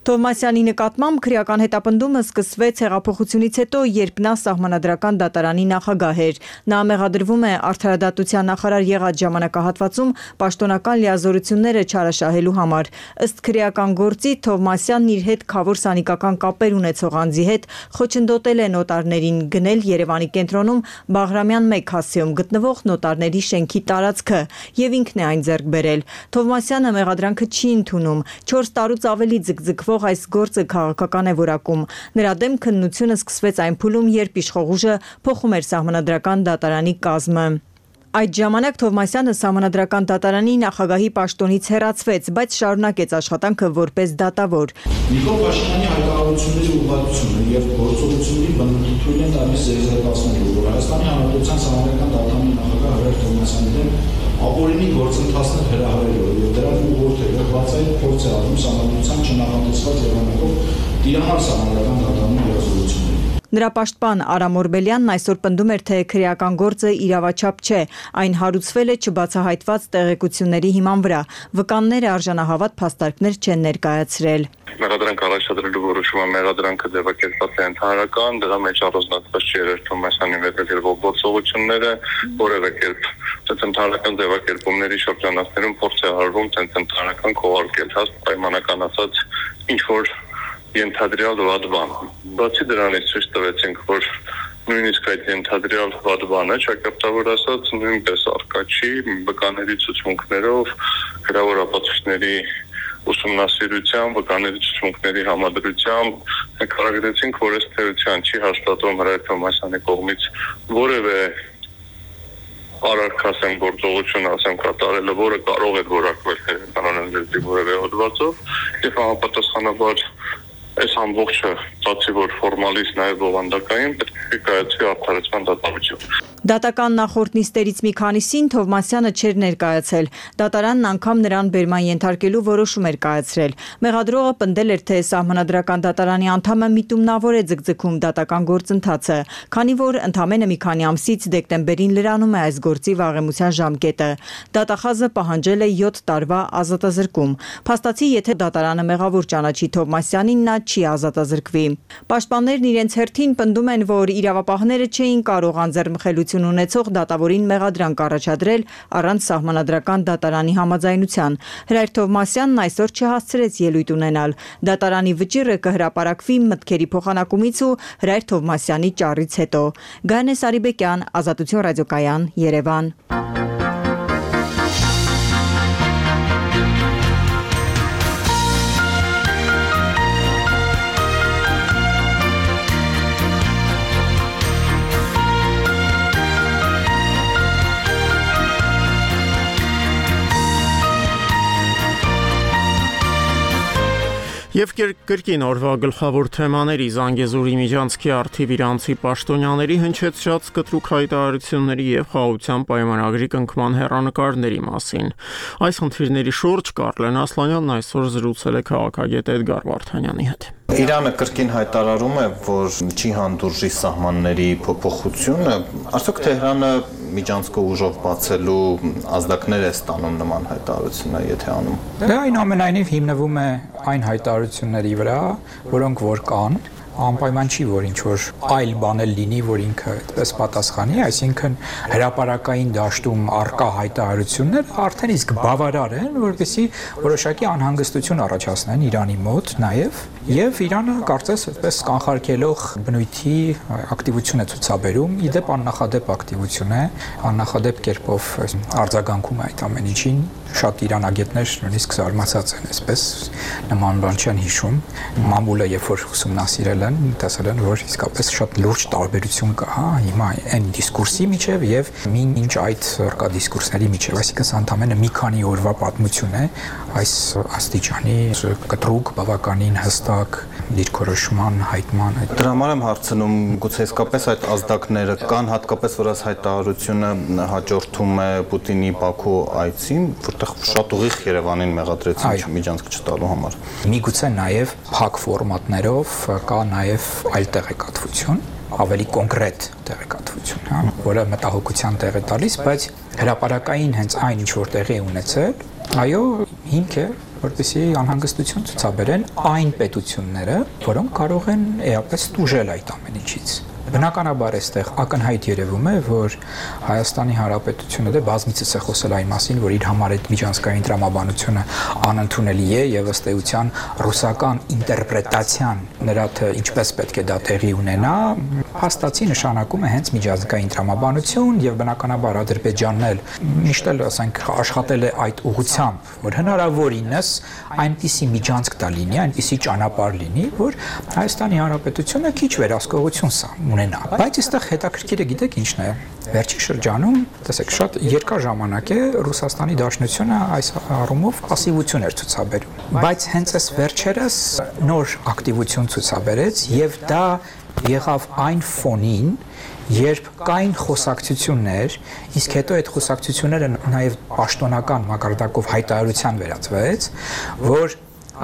Թովմասյանի նկատմամբ քրեական հետապնդումը սկսվեց հեղափոխությունից հետո, երբ նա Սահմանադրական դատարանի նախագահ էր։ Նա մեղադրվում է արդարադատության նախարար եղած ժամանակահատվածում պաշտոնական լիազորությունները չարաշահելու համար։ Ըստ քրեական գործի Թովմասյանն իր հետ քավոր սանիկական կապեր ունեցող անձի հետ խոչընդոտել է նոտարներին, գնել Երևանի կենտրոնում Բաղրամյան մեկ հասցեում գտնվող նոտարների շենքի տարածքը եւ ինքն է այն ձեռք բերել։ Թովմասյանը մեղադրանքը չի ընդունում։ չորս տարուց ավելի ձգձգվող այս գործը քաղաքական է որակում։ Նրա դեմ քննությունը սկսվեց այն փուլում, երբ իշխող ուժը փոխում էր Սահմանադրական դատարանի կազմը։ Այդ ժամանակ Թովմասյանը Սահմանադրական դատարանի նախագահի պաշտոնից հեռացվեց, բայց շարունակեց աշխատանքը որպես դատավոր։ Նիկոլ Փաշինյանի հայտարարությունների ուղղվածությունը եւ գործողությունների բնույթը թույլ են տալիս զերծացնելու, որ Հայաստանի Հանրապետության Սահմանադրական դատարանի նախագահ Հրայր Թովմասյանի դեմ ապօրինի գործընթացներ հրահրելու եւ դրանք ուղղորդելու բացային փորձ է անում Սահմանադրության չնախատեսված եղանակով Տիրանալ Սահմանադրական դատարանի լիազորությունները։ Նրա պաշտպան Արամ Օրբելյանն այսօր պնդում էր, թե քրեական գործը իրավաչափ չէ, այն հարուցվել է չբացահայտված տեղեկությունների հիման վրա, վկանները արժանահավատ փաստարկներ չեն ներկայացրել։ Մեղադրանք առաջադրելու որոշումը մեղադրանքը ձևակերպված է ընդհանրական, դրա մեջ առանձնացված չի Հրայր Թովմասյանի վերաբերյալ գործողությունները, որևէ կերպ ցենտրալական ձևակերպումների շրջանացներում փորձ է արվում ցենտրալական քողարկել հաստ պայմանական ասած ինչ որ ենթադրյալ վատ բան։ Բացի դրանից ցույց տվեցինք, որ նույնիսկ այդ ենթադրյալ վատ բանը ճակատավոր ասած նույնպես արկա չի վկաների ցուցմունքներով գրավոր ապացույցների ուսումնասիրությամբ, վկաների ցուցմունքների համադրությամբ նկարագրեցինք, որ ըստ էության չի հաստատվում Հրայր Թովմասյանի կողմից որևէ արարքասեմ գործողություն ասեմ կատարելը, որը կարող է որակվել կանոնների որևէ հոդվածով եւ համապատասխանաբար այս ամբողջը բացի որ ֆորմալից նաև բովանդակային պետք է կայացվի արդարացման դատավարություն։ Դատական նախորդ նիստերից մի քանիսին Թովմասյանը չէր ներկայացել։ Դատարանն անգամ նրան բերման ենթարկելու որոշում էր կայացրել։ Մեղադրողը պնդել էր, թե Սահմանադրական դատարանի անդամը միտումնավոր է ձգձգում դատական գործընթացը, քանի որ ընդամենը մի քանի ամսից դեկտեմբերին լրանում է այս գործի վաղեմության ժամկետը։ Դատախազը պահանջել է յոթ տարվա ազատազրկում։ Փաստացի, եթե դատարանը մեղավոր ճանաչի Թովմասյանին, նա չի ազատազրկվի։ Պաշտպաններն իրենց հերթին պնդում են, որ իրավապահները չէին կարող անձեռնմխելիություն ունեցող դատավորին մեղադրանք առաջադրել առանց Սահմանադրական դատարանի համաձայնության։ Հրայր Թովմասյանն այսօր չհասցրեց ելույթ ունենալ։ Դատարանի վճիռը կհրապարակվի մտքերի փոխանակումից ու Հրայր Թովմասյանի ճառից հետո։ Գայանե Սարիբեկյան, Ազատություն ռադիոկայան, Երևան։ Եվ կրկին օրվա գլխավոր թեմաների Զանգեզուրի միջանցքի առթիվ իրանցի պաշտոնյաների հնչեցրած կտրուկ հայտարարությունների եւ խաղաղության պայմանագրի կնքման հեռանկարների մասին։ Այս խնդիրների շուրջ Կարլեն Ասլանյանն այսօր զրուցել է քաղաքագետ Էդգար Վարդանյանի հետ։ Իրանը կրկին հայտարարում է, որ չի հանդուրժի սահմանների փոփոխությունը, արդյոք Թեհրանը միջանցքը ուժով բացելու ազդակներ է ստանում նման հայտարարությունը, եթե անում։ Դա այնուամենայնիվ հիմնվում է այն հայտարարությունների վրա, որոնք որ կան, անպայման չի, որ ինչ որ այլ բան էլ լինի, որ ինքը այդպես պատասխանի, այսինքն հրապարակային դաշտում արկա հայտարարությունները արդեն իսկ բավարար են, որպեսզի որոշակի անհանգստություն առաջացնեն Իրանի մոտ նաև, եւ Իրանը կարծես այդպես կանխարգելող բնույթի ակտիվություն է ցուցաբերում, իդեպ աննախադեպ ակտիվություն է, աննախադեպ կերպով արձագանքում է այդ ամեն ինչին, շատ իրանագետներ նույնիսկ զարմացած են, այսպես նման բան չեն հիշում, մամուլը երբ որ ուսումնասիրել են, տեսել են, որ իսկապես շատ լուրջ տարբերություն կա, հա, հիմա այն դիսկուրսի միջև եւ մինչ այդ արկա դիսկուրսների միջև, այսինքն սա ընդամենը մի քանի օրվա պատմություն է այս աստիճանի կտրուկ բավականին հստակ դիրքորոշման հայտման։ Դրա համար եմ հարցնում, գուցե իսկապես այդ ազդակները կան, հատկապես որ այս հայտարարությունը հաջորդում է Պուտինի Բաքու այցին, որտեղ շատ ուղիղ Երևանին մեղադրեցին միջանցք չտալու համար։ Միգուցե նաև փակ ֆորմատներով կա նաև այլ տեղեկատվություն, ավելի կոնկրետ տեղեկատվություն, հա, որը մտահոգության տեղ է տալիս, բայց հրապարակային հենց այն ինչ որ տեղի է ունեցել, այո, հիմք է, որպեսզի անհանգստություն ցուցաբերեն այն պետությունները, որոնք կարող են էապես տուժել այդ ամեն ինչից։ Բնականաբար այստեղ ակնհայտ երևում է, որ Հայաստանի Հանրապետությունը դե բազմիցս է խոսել այն մասին, որ իր համար այդ միջանցքային տրամաբանությունը անընդունելի է եւ ըստ էության ռուսական ինտերպրետացիան նրա թե ինչպես պետք է դա տեղի ունենա, հաստատի նշանակում է հենց միջանցքային տրամաբանություն եւ բնականաբար Ադրբեջանն էլ միշտ էլ ասենք աշխատել է այդ ուղղությամբ, որ հնարավորինս այնպիսի միջանցք տա լինի, այնպիսի ճանապարհ լինի, որ Հայաստանի Հանրապետությունը քիչ վերահսկողություն սա ունենա։ Բայց այստեղ հետաքրքիրը գիտեք ինչն է։ Վերջին շրջանում, տեսեք, շատ երկար ժամանակ է Ռուսաստանի Դաշնությունը այս առումով пассивություն էր ցուցաբերում։ Բայց հենց այս վերջերս նոր ակտիվություն ցուցաբերեց եւ դա եղավ այն ֆոնին, երբ կային խոսակցություններ, իսկ հետո այդ խոսակցությունները նաև պաշտոնական մակարդակով հայտարարության վերածվեց, որ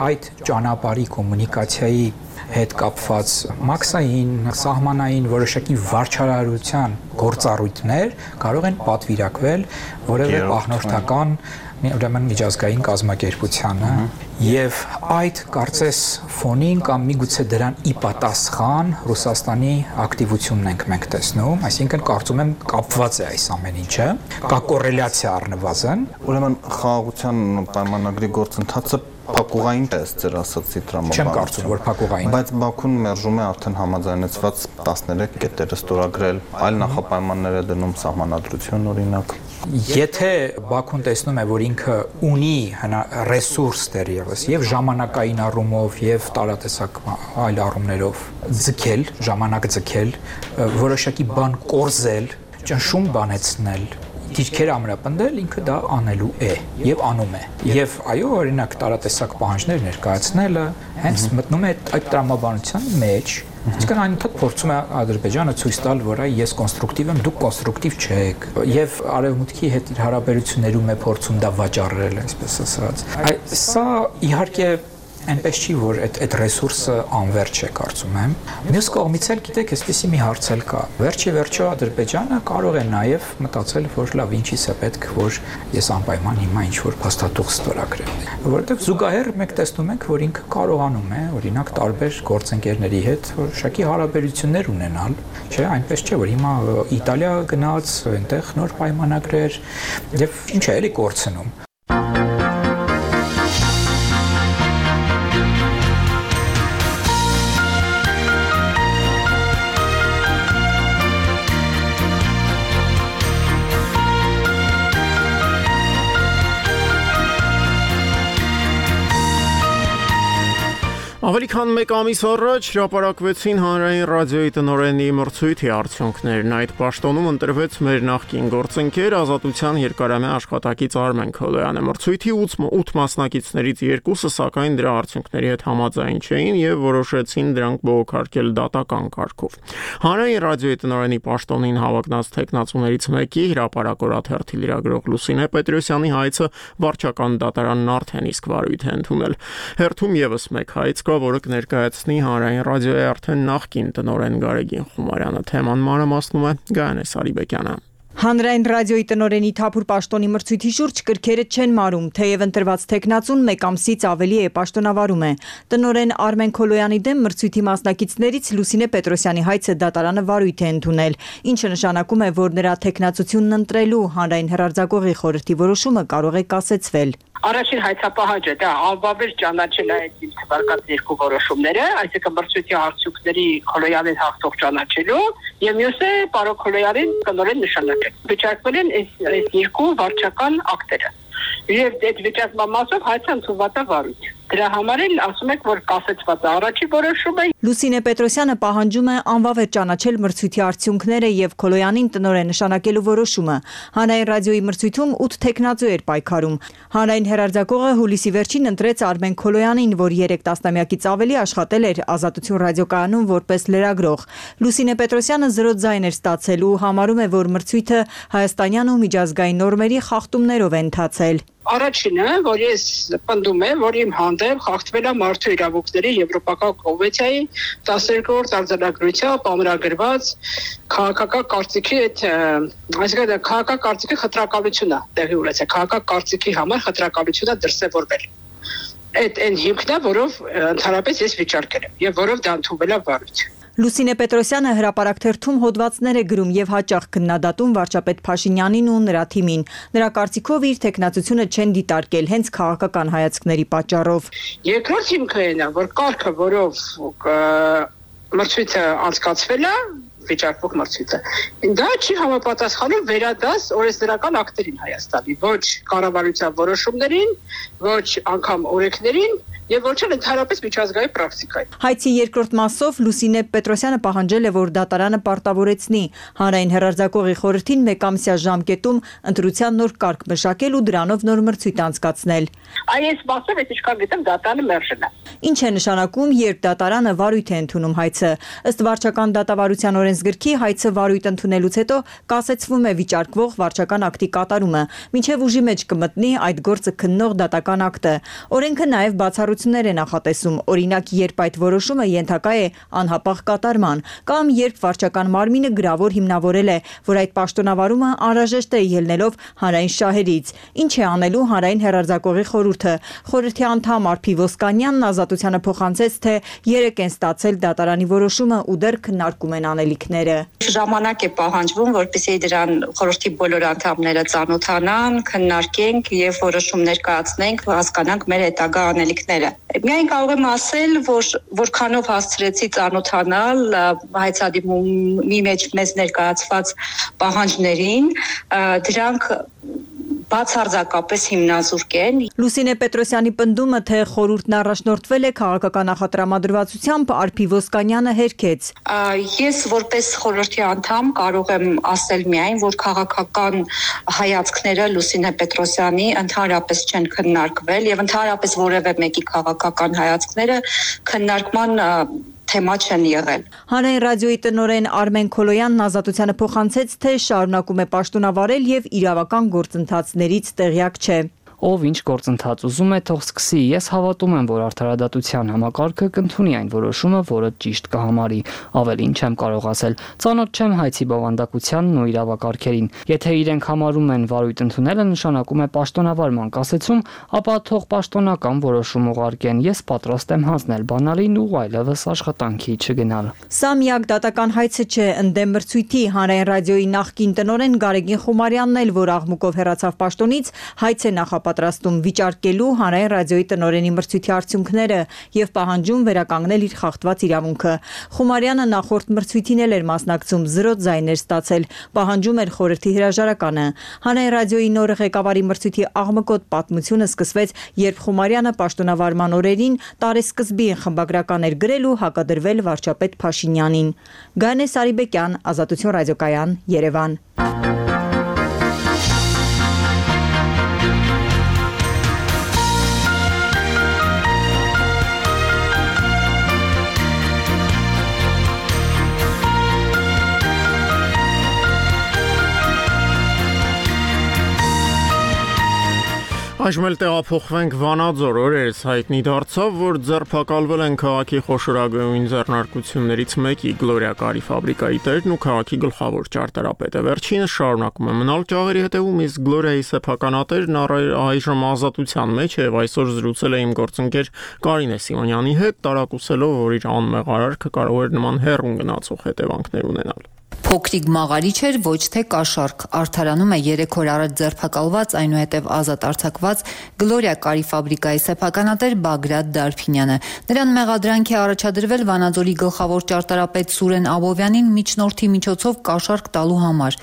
այդ ճանապարհի կոմունիկացիայի հետ կապված մաքսային, սահմանային որոշակի վարչարարության գործառույթներ կարող են պատվիրակվել որևէ պահնորդական ուրեմն միջազգային կազմակերպությանը եւ այդ կարծես ֆոնին կամ միգուցե դրան ի պատասխան Ռուսաստանի ակտիվությունն ենք մենք տեսնում, այսինքն կարծում եմ կապված է այս ամեն ինչը, կա կոռելյացիա առնվազն, ուրեմն խաղաղության պայմանագրի գործընթացը փակուղային է ձեր ասացի տրամաբանություն։ Չեմ կարծում, որ փակուղային։ Բայց Բաքուն մերժում է արդեն համաձայնեցված տասներեք կետերը ստորագրել, այլ նախապայմաններ է դնում սահմանադրություն օրինակ։ Եթե Բաքուն տեսնում է, որ ինքը ունի ռեսուրս դեռևս եւ ժամանակային առումով եւ տարատեսակ այլ առումներով ձգել, ժամանակ ձգել, որոշակի բան կորզել, ճնշում բանեցնել, դիրքեր ամրապնդել, ինքը դա անելու է եւ անում է։ Եվ այո, օրինակ տարատեսակ պահանջներ ներկայացնելը հենց մտնում է այդ տրամաբանության մեջ։ Իսկական այնուհետ փորձում է Ադրբեջանը ցույց տալ, որ այ ես կոնստրուկտիվ եմ, դուք կոնստրուկտիվ չեք, եւ արևմուտքի հետ իր հարաբերություններում է փորձում դա վաճառել, այսպես ասած։ Այդ սա իհարկե այնպես չի, որ այդ այդ ռեսուրսը անվերջ է, կարծում եմ։ Մյուս կողմից էլ գիտեք, այսպեսի մի հարց էլ կա։ Վերջի վերջո Ադրբեջանը կարող է նաև մտածել, որ լավ, ինչի՞ս է պետք, որ ես անպայման հիմա ինչ-որ փաստաթուղթ ստորագրեմ։ Որովհետև զուգահեռ մենք տեսնում ենք, որ ինքը կարողանում է, օրինակ, տարբեր գործընկերների հետ որոշակի հարաբերություններ ունենալ, չէ, այնպես չէ, որ հիմա Իտալիա գնաց, այնտեղ նոր պայմանագրեր, եւ ինչ է էլի կորցնում։ Ավելի քան մեկ ամիս առաջ հրապարակվեցին հանրային ռադիոյի տնօրենի մրցույթի արդյունքներն։ Այդ պաշտոնում ընտրվեց մեր նախկին գործընկեր Ազատության երկարամյա աշխատակից Արմեն Քոլոյանը։ Մրցույթի ութ մասնակիցներից երկուսը սակայն դրա արդյունքների հետ համաձայն չէին եւ որոշեցին դրանք բողոքարկել դատական կարգով։ Հանրային ռադիոյի տնօրենի պաշտոնին հավակնած տեխնացուներից մեկի հրապարակորաթերթի լրագրող Լուսինե Պետրոսյանի հայցը վարչական դատարանն արդեն իսկ վարույթ է ընդունել։ Հերթում եւս մեկ հայց կա, որը կներկայացնի հանրային ռադիոյի արդեն նախկին տնօրեն Գարեգին Խումարյանը։ Թեման մանրամասնում է Գայանե Սարիբեկյանը։ Հանրային ռադիոյի տնօրենի թափուր պաշտոնի մրցույթի շուրջ կրքերը չեն մարում, թեև ընտրված տեխնացուն մեկ ամսից ավելի է պաշտոնավարում է։ Տնօրեն Արմեն Քոլոյանի դեմ մրցույթի մասնակիցներից Լուսինե Պետրոսյանի հայցը դատարանը վարույթ է ընդունել, ինչը նշանակում է, որ նրա տեխնացությունն ընտրելու հանրային հեռարձակողի խորհրդի որոշումը կարող է կասեցվել։ Առաջին հայցապահանջը դա անվավեր ճանաչել է իմ թվարկած երկու որոշումները, այսինքն մրցույթի արդյունքների Քոլոյանին հաղթող ճանաչելու եւ մյուսը պարոն Քոլոյանին տնօրեն նշանակել։ Վիճակվել են այս այս երկու վարչական ակտերը։ Եվ այդ վիճակման մասով հայցը ընդունված է վարույթ։ Դրա համար էլ ասում եք, որ կասեցված է առաջի որոշումը։ Լուսինե Պետրոսյանը պահանջում է անվավեր ճանաչել մրցույթի արդյունքները եւ Քոլոյանին տնօրեն նշանակելու որոշումը։ Հանրային ռադիոյի մրցույթում ութ տեխնացու էր պայքարում։ Հանրային հեռարձակողը հուլիսի վերջին ընտրեց Արմեն Քոլոյանին, որ երեք տասնամյակից ավելի աշխատել էր Ազատություն ռադիոկայանում որպես լրագրող։ Լուսինե Պետրոսյանը զրո ձայն էր ստացել ու համարում է, որ մրցույթը հայաստանյան ու միջազգային նորմերի խախտումներով է ընթացել։ Առաջինը, որ ես պնդում եմ, որ իմ հանդեպ խախտվել է մարդու իրավունքների Եվրոպական կոնվենցիայի տասներկրորդ արձանագրությամբ ամրագրված քաղաքական կարծիքի այդ, այսինքն քաղաքական կարծիքի խտրականությունը տեղի ունեցել, քաղաքական կարծիքի համար խտրականությունը դրսևորվել։ Այդ այն հիմքն է, որով ընդհանրապես ես վիճարկել եմ եւ որով դա ընդունվել է վարույթ։ Լուսինե Պետրոսյանը հրապարակթերթում հոդվածներ է գրում եւ հաճախ քննադատում վարչապետ Փաշինյանին ու նրա թիմին։ Նրա կարծիքով իր տեխնացությունը չեն դիտարկել հենց քաղաքական հայացքների պատճառով։ Երկրորդ հիմքը այն է, որ կարգը, որով մրցույթը անցկացվել է, վիճակվող մրցույթը, դա չի համապատասխանում վերադաս օրենսդրական ակտերին Հայաստանի, ոչ կառավարության որոշումներին, ոչ անգամ օրենքներին եւ ոչ էլ ընդհանրապես միջազգային պրակտիկային։ Հայցի երկրորդ մասով Լուսինե Պետրոսյանը պահանջել է, որ դատարանը պարտավորեցնի հանրային հեռարձակողի խորհրդին մեկամսյա ժամկետում ընտրության նոր կարգ մշակել ու դրանով նոր մրցույթ անցկացնել։ Այս մասով ես ինչքան գիտեմ դատարանը մերժել է։ Ինչ է նշանակում, երբ դատարանը վարույթ է ընդունում հայցը։ Ըստ վարչական դատավարության օրենսգիր օրենսգրքի հայցը վարույթ ընդունելուց հետո կասեցվում է վիճարկվող վարչական ակտի կատարումը, մինչև ուժի մեջ կմտնի այդ գործը քննող դատական ակտը։ Օրենքը նաև բացառություններ է նախատեսում, օրինակ, երբ այդ որոշումը ենթակա է անհապաղ կատարման, կամ երբ վարչական մարմինը գրավոր հիմնավորել է, որ այդ պաշտոնավարումը անհրաժեշտ է ելնելով հանրային շահերից։ Ինչ է անելու հանրային հեռարձակողի խորհուրդը։ Խորհրդի անդամ Արփի Ոսկանյանն Ազատությանը փոխանցեց, թե երեք են ստացել դատարանի որոշումը ու դեռ քննարկում են անելիքները։ Ժամանակ է պահանջվում, որպեսզի դրան խորհրդի բոլոր անդամները ծանոթանան, քննարկենք եւ որոշումներ կայացնենք, հասկանանք մեր հետագա անելիքները։ Միայն կարող եմ ասել, որ որքանով հասցրեցի ծանոթանալ հայցադիմումի մեջ մեզ ներկայացված պահանջներին, դրանք բացարձակապես հիմնազուրկ են։ Լուսինե Պետրոսյանի պնդումը, թե խորհուրդն առաջնորդվել է քաղաքական նախատրամադրվածությամբ, Արփի Ոսկանյանը հերքեց։ Ես որպես խորհրդի անդամ կարող եմ ասել միայն, որ քաղաքական հայացքները Լուսինե Պետրոսյանի ընդհանրապես չեն քննարկվել եւ ընդհանրապես որևէ մեկի քաղաքական հայացքները քննարկման թեմա չեն եղել։ Հանրային ռադիոյի տնօրեն Արմեն Քոլոյանն Ազատությանը փոխանցեց, թե շարունակում է պաշտոնավարել եւ իրավական գործընթացներից տեղյակ չէ։ Ով ինչ գործընթաց ուզում է, թող սկսի։ Ես հավատում եմ, որ արդարադատության համակարգը կընդունի այն որոշումը, որը ճիշտ կհամարի։ Ավելին չեմ կարող ասել։ Ծանոթ չեմ հայցի բովանդակությանն ու իրավակարգերին։ Եթե իրենք համարում են վարույթ ընդունելը նշանակում է պաշտոնավարման կասեցում, ապա թող պաշտոնական որոշում ուղարկեն։ Ես պատրաստ եմ հանձնել բանալին ու այլևս աշխատանքի չգնալ։ Սա միակ դատական հայցը չէ, ընդդեմ մրցույթի հանրային ռադիոյի նախկին տնօրեն Գարեգին Խումարյանն էլ, որ աղմուկով հեռացավ պաշտոնից, հայց է նախապատրաստում վիճարկելու հանրային ռադիոյի տնօրենի մրցույթի արդյունքները եւ պահանջում վերականգնել իր խախտված իրավունքը։ Խումարյանը նախորդ մրցույթին էլ էր մասնակցում, զրոց ձայներ ստացել, պահանջում էր խորհրդի հրաժարականը։ Հանրային ռադիոյի նոր ղեկավարի մրցույթի աղմկոտ պատմությունը սկսվեց, երբ Խումարյանը պաշտոնավարման օրերին տարեսկզբին խմբագրական էր գրել ու հակադրվել վարչապետ Փաշինյանին։ Գանե Սարիբեկյան, Ազատություն ռադիոկայան, Երևան։ Այժմ էլ տեղափոխվենք Վանաձոր, օրերս հայտնի դարձավ, որ ձերբակալվել են քաղաքի խոշորագույն ձեռնարկություններից մեկի Գլորիա կարի ֆաբրիկայի տերն ու քաղաքի գլխավոր ճարտարապետը։ Վերջինս շարունակում է մնալ ճաղերի հետևում, իսկ Գլորիայի սեփականատերն այժմ ազատության մեջ է եւ այսօր զրուցել է իմ գործընկեր Կարինե Սիմոնյանի հետ, տարակուսելով, որ իր անմեղ արարքը կարող էր նման հեռուն գնացող հետևանքներ ունենալ։ Փոքրիկ մաղարիչ էր, ոչ թե կաշառք, արդարանում է երեք օր առաջ ձերբակալված, այնուհետև ազատ արձակված Գլորիա կարի ֆաբրիկայի սեփականատեր Բագրատ Դարփինյանը։ Նրան մեղադրանք է առաջադրվել Վանաձորի գլխավոր ճարտարապետ Սուրեն Աբովյանին միջնորդի միջոցով կաշառք տալու համար։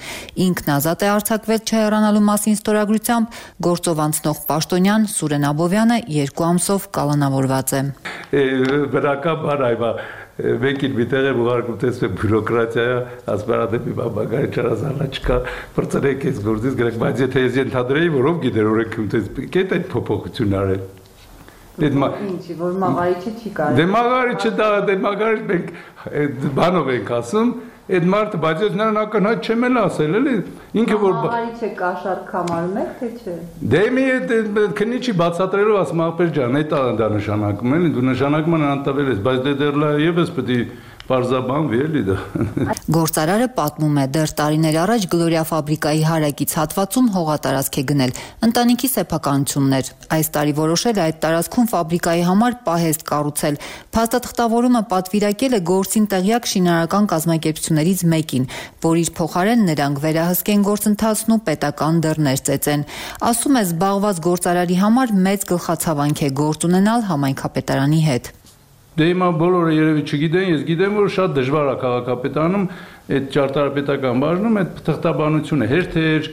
Ինքն ազատ է արձակվել չհեռանալու մասին ստորագրությամբ, գործով անցնող պաշտոնյան Սուրեն Աբովյանը երկու ամսով կալանավորված է։ Բնականաբար այվա Vekil bitere buharkum tesbe bürokratiya asparademi babagari çarazarla çıkar fırtınaya kes gördünüz gerek bazı tezyen tadreyi vurup gider oraya kümtes keten popokçunlar. Dedim İnci var magariçi çıkar. Demagariçi da demagariç ben bano ben kasım Այդ մարդը բայց ես նրան ակնհայտ չեմ էլ ասել, էլի ինքը որ Աղարիչ է կաշառք համարում եք թե չէ։ Դե մի քնիչի բացատրելով ասում ախպեր ջան, այդ դա նշանակում էլի, դու նշանակման անտավել ես, բայց դե դեռ լա եւս պետք է Պարզաբանվի էլի դա։ Գործարարը պատմում է, դեռ տարիներ առաջ Գլորիա ֆաբրիկայի հարակից հատվածում հողատարածք է գնել ընտանիքի սեփականություններ։ Այս տարի որոշել է այդ տարածքում ֆաբրիկայի համար պահեստ կառուցել։ Փաստաթղթավորումը պատվիրակել է գործին տեղյակ շինարարական կազմակերպություններից մեկին, որ իր փոխարեն նրանք վերահսկեն գործընթացն ու պետական դռներ ծեծեն։ Ասում է, զբաղված գործարարի համար մեծ գլխացավանք է գործ ունենալ համայնքապետարանի հետ։ Դե հիմա բոլորը երևի չգիտեն, ես գիտեմ, որ շատ դժվար է քաղաքապետարանում այդ ճարտարապետական բաժնում այդ թղթաբանությունը հերթեր,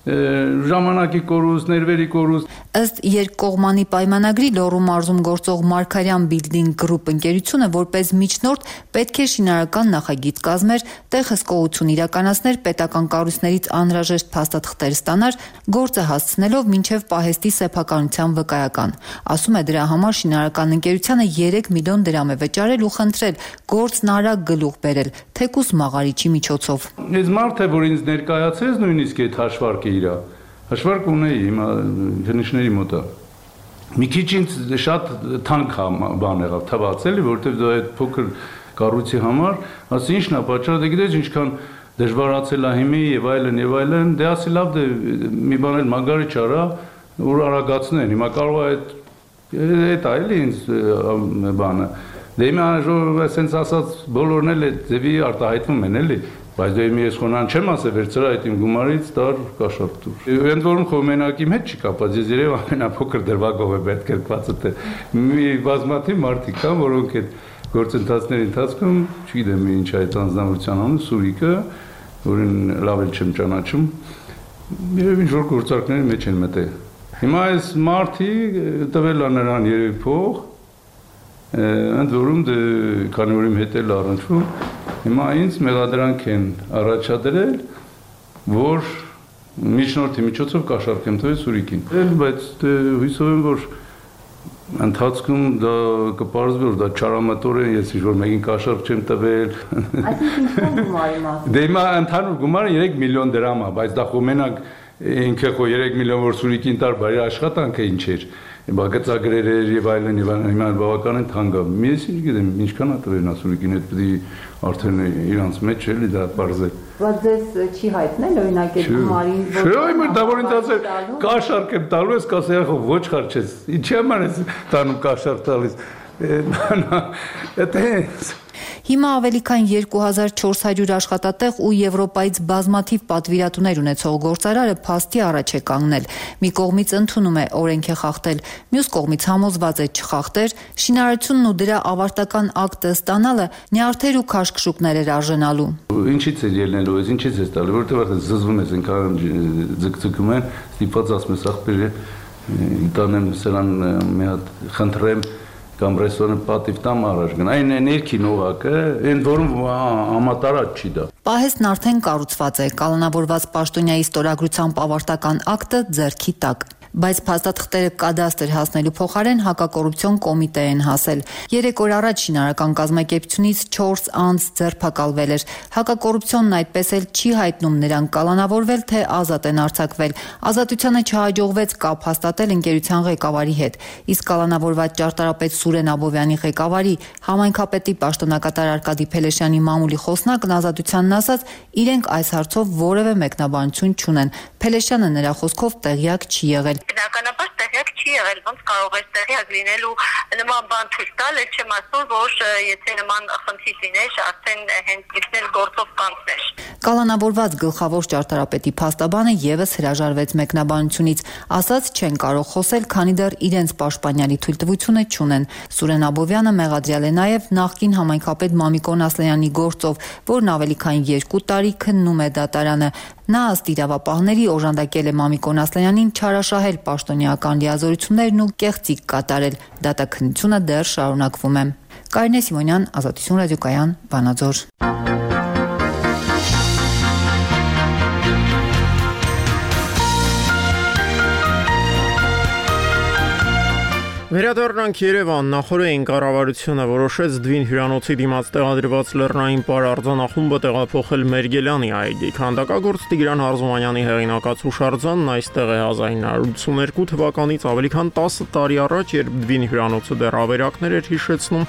ժամանակի կորուստ, ներվերի կորուստ։ Ըստ երկկողմանի պայմանագրի Լոռու մարզում գործող Մարգարյան Building Group ընկերությունը որպես միջնորդ պետք է շինարարական նախագիծ կազմեր, տեղ հսկողություն իրականացներ, պետական կառույցներից անհրաժեշտ փաստաթղթեր ստանար, գործը հասցնելով մինչև պահեստի սեփականության վկայական։ Ասում է դրա համար շինարարական ընկերությանը երեք միլիոն դրամ է վճարել ու խնդրել գործն արագ գլուխ բերել, թեկուզ մաղարիչի միջոցով։ Այս մարդը, որ ինձ ներկայացրեց նույնիսկ այդ հաշվարկը իրա, հաշվարկ ունեի հիմա քննիչների մոտ։ Մի քիչ ինձ շատ թանկ բան եղավ, թվաց էլի, որովհետև դա այդ փոքր կառույցի համար, ասի ինչն է պատճառը, դե գիտես ինչքան դժվարացել է հիմի եւ այլն եւ այլն, դե ասի լավ դե մի բան էլ մագարիչ արա, որ արագացնեն, հիմա կարող է այդ այդ այլի ինձ բանը։ Դե հիմա ժողովուրդը ասենց ասած բոլորն էլ այդ ձևի արտահայտվում են էլի, բայց դե մի ես խոնան չեմ ասել վերցրա այդ իմ գումարից տար կաշառտուր։ Ընդ որում քո մենակի հետ չի կապված, ես երևի ամենափոքր դրվագով է պետք կրկվածը թե մի բազմաթիվ մարդիկ կան, որոնք այդ գործընթացների ընթացքում, չգիտեմ ինչ այդ անձնավորության անունը, Սուրիկը, որին լավ էլ չեմ ճանաչում, երևի ինչ որ գործարքների մեջ են մտել։ Հիմա այս մարդի տվել է նրան երևի փող, ընդ որում դե քանի որ իմ հետ էլ առնչվում, հիմա ինձ մեղադրանք են առաջադրել, որ միջնորդի միջոցով կաշառք եմ տվել Սուրիկին։ Բայց դե հույսով եմ, որ ընթացքում դա կպարզվի, որ դա չարամատորեն ես ինչ որ մեկին կաշառք չեմ տվել։ Այսինքն ինչ գումարի մասը։ Դե հիմա ընդհանուր գումարը երեք միլիոն դրամ է, բայց դա խո մենակ ինքը խո երեք միլիոն որ Սուրիկին տար, բարի աշխատանքը ինչ էր։ Բա գծագրեր էր եւ այլն եւ հիմա բավականին թանկ է։ Ես ինչ գիտեմ, ինչքան է տվել նա Սուրիկին, այդ պետք է արդեն իրանց մեջ էլի դա բարձր։ Բայց ձեզ չի հայտնել օրինակ այդ գումարին, որ Չէ, այո, դա որ ինձ ասել կաշառք եմ տալու, ես կասեի խո ոչ խարչես։ Ինչի՞ համար ես տանում կաշառք տալիս։ Դա Հիմա ավելի քան երկու հազար չորս հարյուր աշխատատեղ ու Եվրոպայից բազմաթիվ պատվիրատուներ ունեցող գործարարը փաստի առաջ է կանգնել։ Մի կողմից ընդունում է օրենք է խախտել, մյուս կողմից համոզված է չխախտեր, շինարարությունն ու դրա ավարտական ակտը ստանալը նյարդեր ու քաշքշուկներ էր արժանալու։ Ինչից է ելնելու, ես ինչից է ստալու, որտեղ արդեն զզվում ես, այնքան ձգձգում են, ստիպված ասում ես ախպեր տանեմ սրան մի հատ խնդրեմ կամ ռեստորանը պատիվ տամ առաջ գնա։ Այն ներքին օղակը, այն որում համատարած չի դա։ Պահեստն արդեն կառուցված է, կալանավորված պաշտոնյայի ստորագրությամբ ավարտական ակտը ձեռքի տակ։ Բայց փաստաթղթերը կադաստր հասնելու փոխարեն հակակոռուպցիոն կոմիտե են հասել։ Երեք օր առաջ շինարարական կազմակերպությունից չորս անձ ձերբակալվել էր։ Հակակոռուպցիոնն այդպես էլ չի հայտնում նրանք կալանավորվել թե ազատ են արձակվել։ Ազատությանը չհաջողվեց կապ հաստատել ընկերության ղեկավարի հետ։ Իսկ կալանավորված ճարտարապետ Սուրեն Աբովյանի ղեկավարի համայնքապետի պաշտոնակատար Արկադի Փելեշյանի մամուլի խոսնակն ազատությանն ասաց, իրենք այս հարցով որևէ մեկնաբանություն չունեն։ Փելեշյանը նրա խոսքով տեղյակ չի եղել։ Բնականաբար տեղյակ չի եղել, ոնց կարող է տեղյակ լինել ու նման բան ցույց տալ, էլ չեմ ասում, որ եթե նման խնդիր լիներ, արդեն հենց դիպնել գործով կանցներ։ Կալանավորված գլխավոր ճարտարապետի փաստաբանը եւս հրաժարվեց մեկնաբանությունից, ասաց չեն կարող խոսել, քանի դեռ իրենց պաշտպանյալի թույլտվությունը չունեն։ Սուրեն Աբովյանը մեղադրյալ է նաեւ նախկին համայնքապետ Մամիկոն Ասլանյանի գործով, որն ավելի քան երկու տարի քննում է դատարանը։ Նա ըստ իրավապահների օժանդակել է Մամիկոն Ասլանյանին չարաշահել պաշտոնյական լիազորություններն ու կեղծիք կատարել։ Դատաքննությունը դեռ շարունակվում է։ Կարինե Սիմոնյան, Ազատություն ռադիոկայան, Վանաձոր։ Վերադառնանք Երևան, նախորդին կառավարությունը որոշեց Դվին հյուրանոցի դիմաց տեղադրված լեռնային պար արձանախումբը տեղափոխել Մերգելյանի այգի։ Քանդակագործ Տիգրան Հարզումանյանի հեղինակած հուշարձանն այստեղ է հազար ինը հարյուր ութսուներկու թվականից ավելի քան տասը տարի առաջ, երբ Դվին հյուրանոցը դեռ ավերակներ էր հիշեցնում,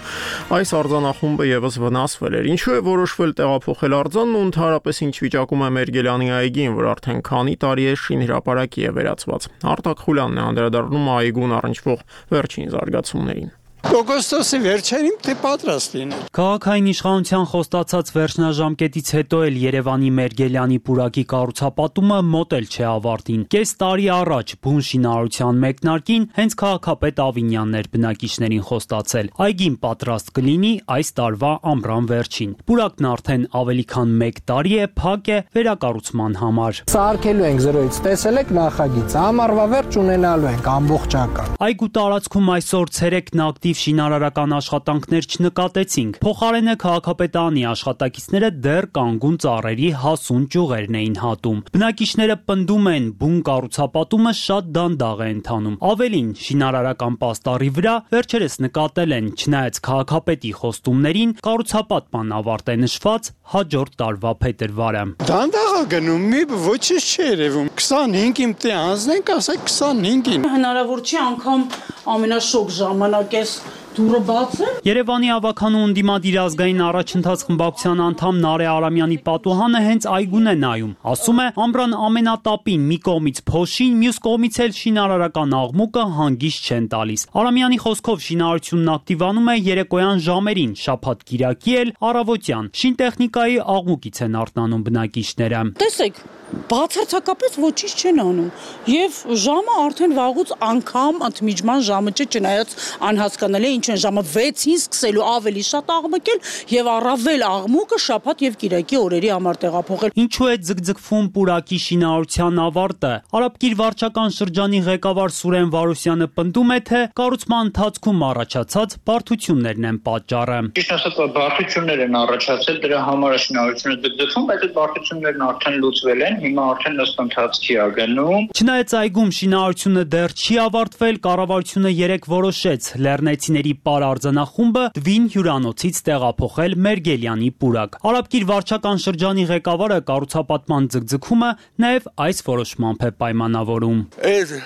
այս արձանախումբը եւս վնասվել էր։ Ինչու է որոշվել տեղափոխել արձանն ու ընդհանրապես ինչ վիճակում է Մերգելյանի այգին, որ արդեն քանի տարի է շինհրապարակի է վերածված։ Արտակ Խուլյանն է անդրադառնում այգուն առնչվող վերջին զարգացումներին։ օգոստոսի վերջերին թե պատրաստ լինել։ Քաղաքային իշխանության խոստացած վերջնաժամկետից հետո էլ Երևանի Մերգելյանի պուրակի կառուցապատումը մոտ էլ չէ ավարտին։ Կես տարի առաջ բուն շինարարության մեկնարկին հենց քաղաքապետ Ավինյանն էր բնակիչներին խոստացել։ Այգին պատրաստ կլինի այս տարվա ամռան վերջին։ Պուրակն արդեն ավելի քան մեկ տարի է փակ է վերակառուցման համար։ Սարքելու ենք զրոյից, տեսել եք նախագիծը, ամառվա վերջ ունենալու ենք ամբողջական։ Այգու տարածքում այսօր ցերեկն ակտիվ շինարարական աշխատանքներ չնկատեցինք։ Փոխարենը քաղաքապետարանի աշխատակիցները դեռ կանգուն ծառերի հասուն ճյուղերն էին հատում։ Բնակիչները պնդում են, բուն կառուցապատումը շատ դանդաղ է ընթանում։ Ավելին, շինարարական պաստառի վրա վերջերս նկատել են, չնայած քաղաքապետի խոստումներին, կառուցապատման ավարտ է նշված հաջորդ տարվա փետրվարը։ Դանդաղ է գնում, մի ոչինչ չի երևում։ քսանհինգ իմ տե անձնենք, ասեք քսանհինգին։ Հնարավոր չի անգամ ամենաշոգ ժամանակ էս դուրը բաց է։ Երևանի ավականու ընդդիմադիր ազգային առաջընթաց խմբակցության անդամ Նարե Արամյանի պատուհանը հենց այգուն է նայում։ Ասում է, ամռան ամենատապին մի կողմից փոշին, մյուս կողմից էլ շինարարական աղմուկը հանգիստ չեն տալիս։ Արամյանի խոսքով շինարարությունն ակտիվանում է երեկոյան ժամերին, շաբաթ-կիրակի էլ առավոտյան։ Շինտեխնիկայի աղմուկից են արթնանում բնակիչները։ Տեսեք, բացարձակապես ոչինչ չեն անում եւ ժամը արդեն վաղուց անգամ ընդմիջման ժամը չէ, չնայած անհասկանալի է ինչ են ժամը վեցին սկսելու ավելի շատ աղմկել եւ առավել աղմուկը շաբաթ եւ կիրակի օրերի համար տեղափոխել։ Ինչու է ձգձգվում պուրակի շինարարության ավարտը։ Արաբկիր վարչական շրջանի ղեկավար Սուրեն Վարուսյանը պնդում է, թե կառուցման ընթացքում առաջացած բարդություններն են պատճառը։ Ճիշտ ասած, բարդություններ են առաջացել, դրա համար է շինարարությունը ձգձգվում, բայց այդ բարդություններն արդեն լուծվել են։ Հիմա արդեն ըստ ընթացքի է գնում։ Չնայած այգում շինարարությունը դեռ չի ավարտվել, կառավարությունը երեկ որոշեց լեռնեցիների պարարտանախումբը Դվին հյուրանոցից տեղափոխել Մերգելյանի պուրակ։ Արաբկիր վարչական շրջանի ղեկավարը կառուցապատման ձգձգումը նաև այս որոշմամբ է պայմանավորում։ Այդ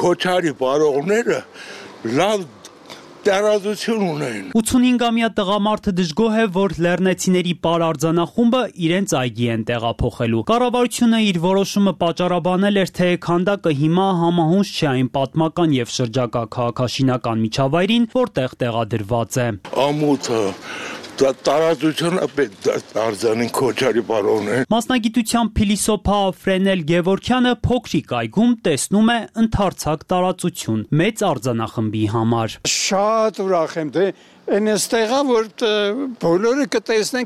քոչարի բարողները լավ տարածություն ունեն։ ութսունհինգամյա տղամարդը դժգոհ է, որ լեռնեցիների պարարտանախումբը իրենց այգի են տեղափոխելու։ Կառավարությունը իր որոշումը պատճառաբանել էր, թե քանդակը հիմա համահունչ չէ այն պատմական եւ շրջակա քաղաքաշինական միջավայրին, որտեղ տեղադրված է։ Ամոթը տարածությունը պետք է արձանին քոչարի բարողներ։ Մասնագիտությամբ փիլիսոփա Ֆրենել Գևորքյանը փոքրիկ այգում տեսնում է ընդարձակ տարածություն մեծ արձանախմբի համար։ Շատ ուրախ եմ, դե այն էստեղա, որ բոլորը կտեսնեն,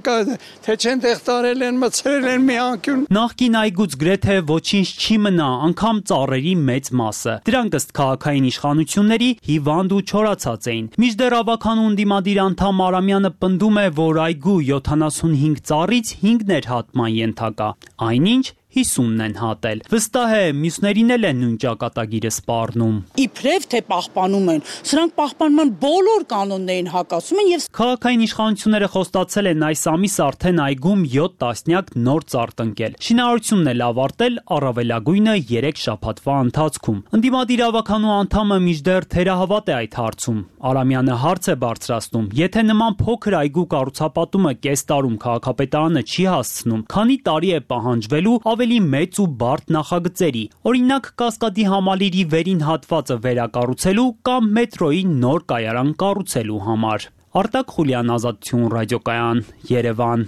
թե չեն տեղ տարել են, մցրել են մի անկյուն։ Նախկին այգուց գրեթե ոչինչ չի մնա, անգամ ծառերի մեծ մասը։ Դրանք ըստ քաղաքային իշխանությունների հիվանդ ու չորացած էին։ Մինչդեռ ավականու ընդդիմադիր անդամ Արամյանը պնդում է, որ այգու յոթանասունհինգ ծառից հինգն էր հատման ենթակա, այնինչ հիսունն են հատել։ Վստահ է, մյուսներին էլ են նույն ճակատագիրը սպառնում։ Իբրև թե պահպանում են, սրանք պահպանման բոլոր կանոններին հակասում են եւ քաղաքային իշխանությունները խոստացել են այս ամիս արդեն այգում յոթ տասնյակ նոր ծառ տնկել։ Շինարարությունն էլ ավարտել առավելագույնը երեք շաբաթվա ընթացքում։ Ընդդիմադիր ավականու անդամը մինչդեռ թերահավատ է այդ հարցում։ Արամյանը հարց է բարձրացնում. եթե նման փոքր այգու կառուցապատումը կես տարում քաղաքապետարանը չի հասցնում, քանի տարի է պահանջվելու ավելի մեծ ու բարդ նախագծերի, օրինակ Կասկադի համալիրի վերին հատվածը վերակառուցելու կամ մետրոյի նոր կայարան կառուցելու համար։ Արտակ Խուլյան, Ազատություն ռադիոկայան, Երևան։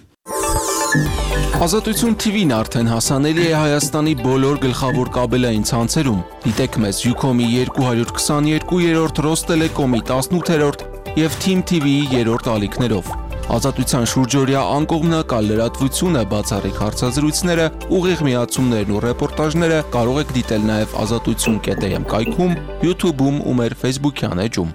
Ազատություն թիվին արդեն հասանելի է Հայաստանի բոլոր գլխավոր կաբելային ցանցերում։ Դիտեք մեզ Ucom-ի երկու հարյուր քսաներկու, Ռոստելեկոմի տասնութերորդ եւ Թիմ թի վիի երրորդ ալիքներով։ Ազատության շուրջօրյա անկողմնակալ լրատվությունը, բացառիկ հարցազրույցները, ուղիղ միացումներն ու ռեպորտաժները կարող եք դիտել նաև ազատություն կետ էմ կայքում, YouTube-ում ու մեր Facebook-յան էջում։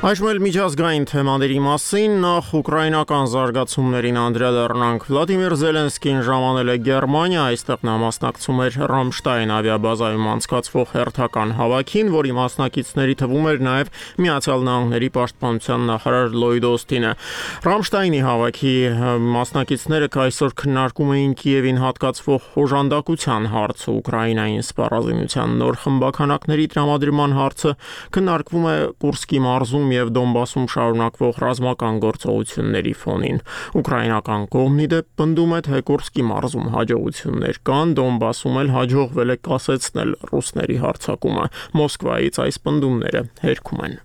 Այժմ էլ միջազգային թեմաների մասին, նախ ուկրաինական զարգացումներին անդրադառնանք։ Վլադիմիր Զելենսկին ժամանել է Գերմանիա, այստեղ նա մասնակցում էր Ռամշտայն ավիաբազայում անցկացվող հերթական հավաքին, որի մասնակիցների թվում էր նաև Միացյալ Նահանգների պաշտպանության նախարար Լոյդ Օստինը։ Ռամշտայնի հավաքի մասնակիցները այսօր քննարկում էին Կիևին հատկացվող օժանդակության հարցը, Ուկրաինային սպառազինության նոր խմբականակների տրամադրման հարցը, քննարկվում է Կուրսկի մարզում եւ Դոնբասում շարունակվող ռազմական գործողությունների ֆոնին։ Ուկրաինական կողմն ի դեպ պնդում է, թե Կուրսկի մարզում հաջողություններ կան, Դոնբասում էլ հաջողվել է կասեցնել ռուսների հարձակումը։ Մոսկվայից այս պնդումները հերքում են։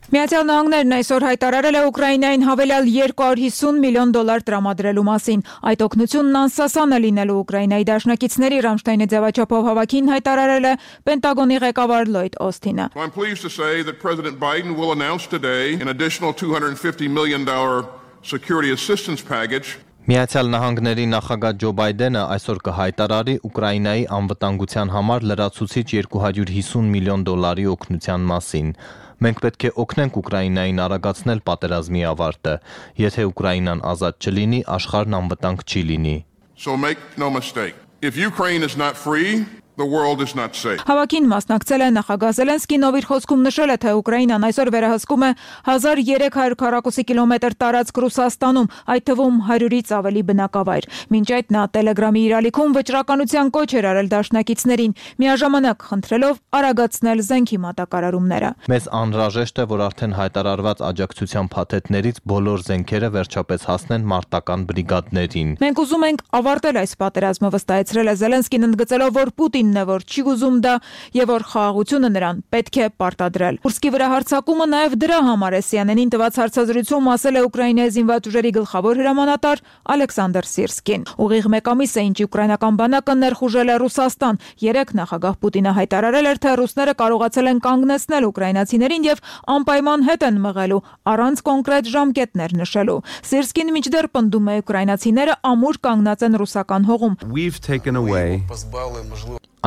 Միացյալ Նահանգներն այսօր հայտարարել է Ուկրաինային հավելյալ երկու հարյուր հիսուն միլիոն դոլար տրամադրելու մասին։ Այդ օգնությունն անսասան է լինելու Ուկրաինայի դաշնակիցների Ռամշտայնի ձևաչափով հավաքին հայտարարել է Պենտագոնի ղեկավար Լոյդ Օսթինը։ I'm pleased to say that President Biden will announce today an additional two hundred fifty million dollars security assistance package. Միացյալ Նահանգների նախագահ Ջո Բայդենը այսօր կհայտարարի Ուկրաինայի անվտանգության համար լրացուցիչ երկու հարյուր հիսուն միլիոն դոլարի օգնության մասին։ Մենք պետք է օգնենք Ուկրաինային արագացնել պատերազմի ավարտը։ Եթե Ուկրաինան ազատ չլինի, աշխարհն անվտանգ չի լինի։ So make no mistake. If Ukraine is not free, the world is not safe. Հավաքին մասնակցել է նախագահ Զելենսկին, ով իր խոսքում նշել է, թե Ուկրաինան այսօր վերահսկում է հազար երեք հարյուր քառակուսի կիլոմետր տարածք Ռուսաստանում, այդ թվում հարյուրից ավելի բնակավայր։ Մինչ այդ նա Տելեգրամի իր ալիքում վճռականության կոչ էր արել դաշնակիցներին, միաժամանակ խնդրելով արագացնել զենքի մատակարարումները։ Մեզ անհրաժեշտ է, որ արդեն հայտարարված աջակցության փաթեթներից բոլոր զենքերը վերջապես հասնեն մարտական բրիգադներին։ Մենք ուզում ենք ավարտել այս պատերազմը, վստահեցրել է Զելենսկին, ընդգծելով, որ Պուտինն է, որ չի ուզում դա եւ որ խաղաղությունը նրան պետք է պարտադրել։ Կուրսկի վրա հարձակումը նաեւ դրա համար է C N N-ին տված հարցազրույցում ասել է Ուկրաինայի զինված ուժերի գլխավոր հրամանատար Ալեքսանդր Սիրսկին։ Ուղիղ մեկ ամիս է, ինչ ուկրաինական բանակը ներխուժել է Ռուսաստան։ Երեք նախագահ Պուտինը հայտարարել էր, թե ռուսները կարողացել են կանգնեցնել ուկրաինացիներին եւ անպայման հետ են մղելու առանց կոնկրետ ժամկետներ նշելու։ Սիրսկին մինչդեռ պնդում է ուկրաինացիները ամուր կանգնած են ռուսական հողում։ We've taken away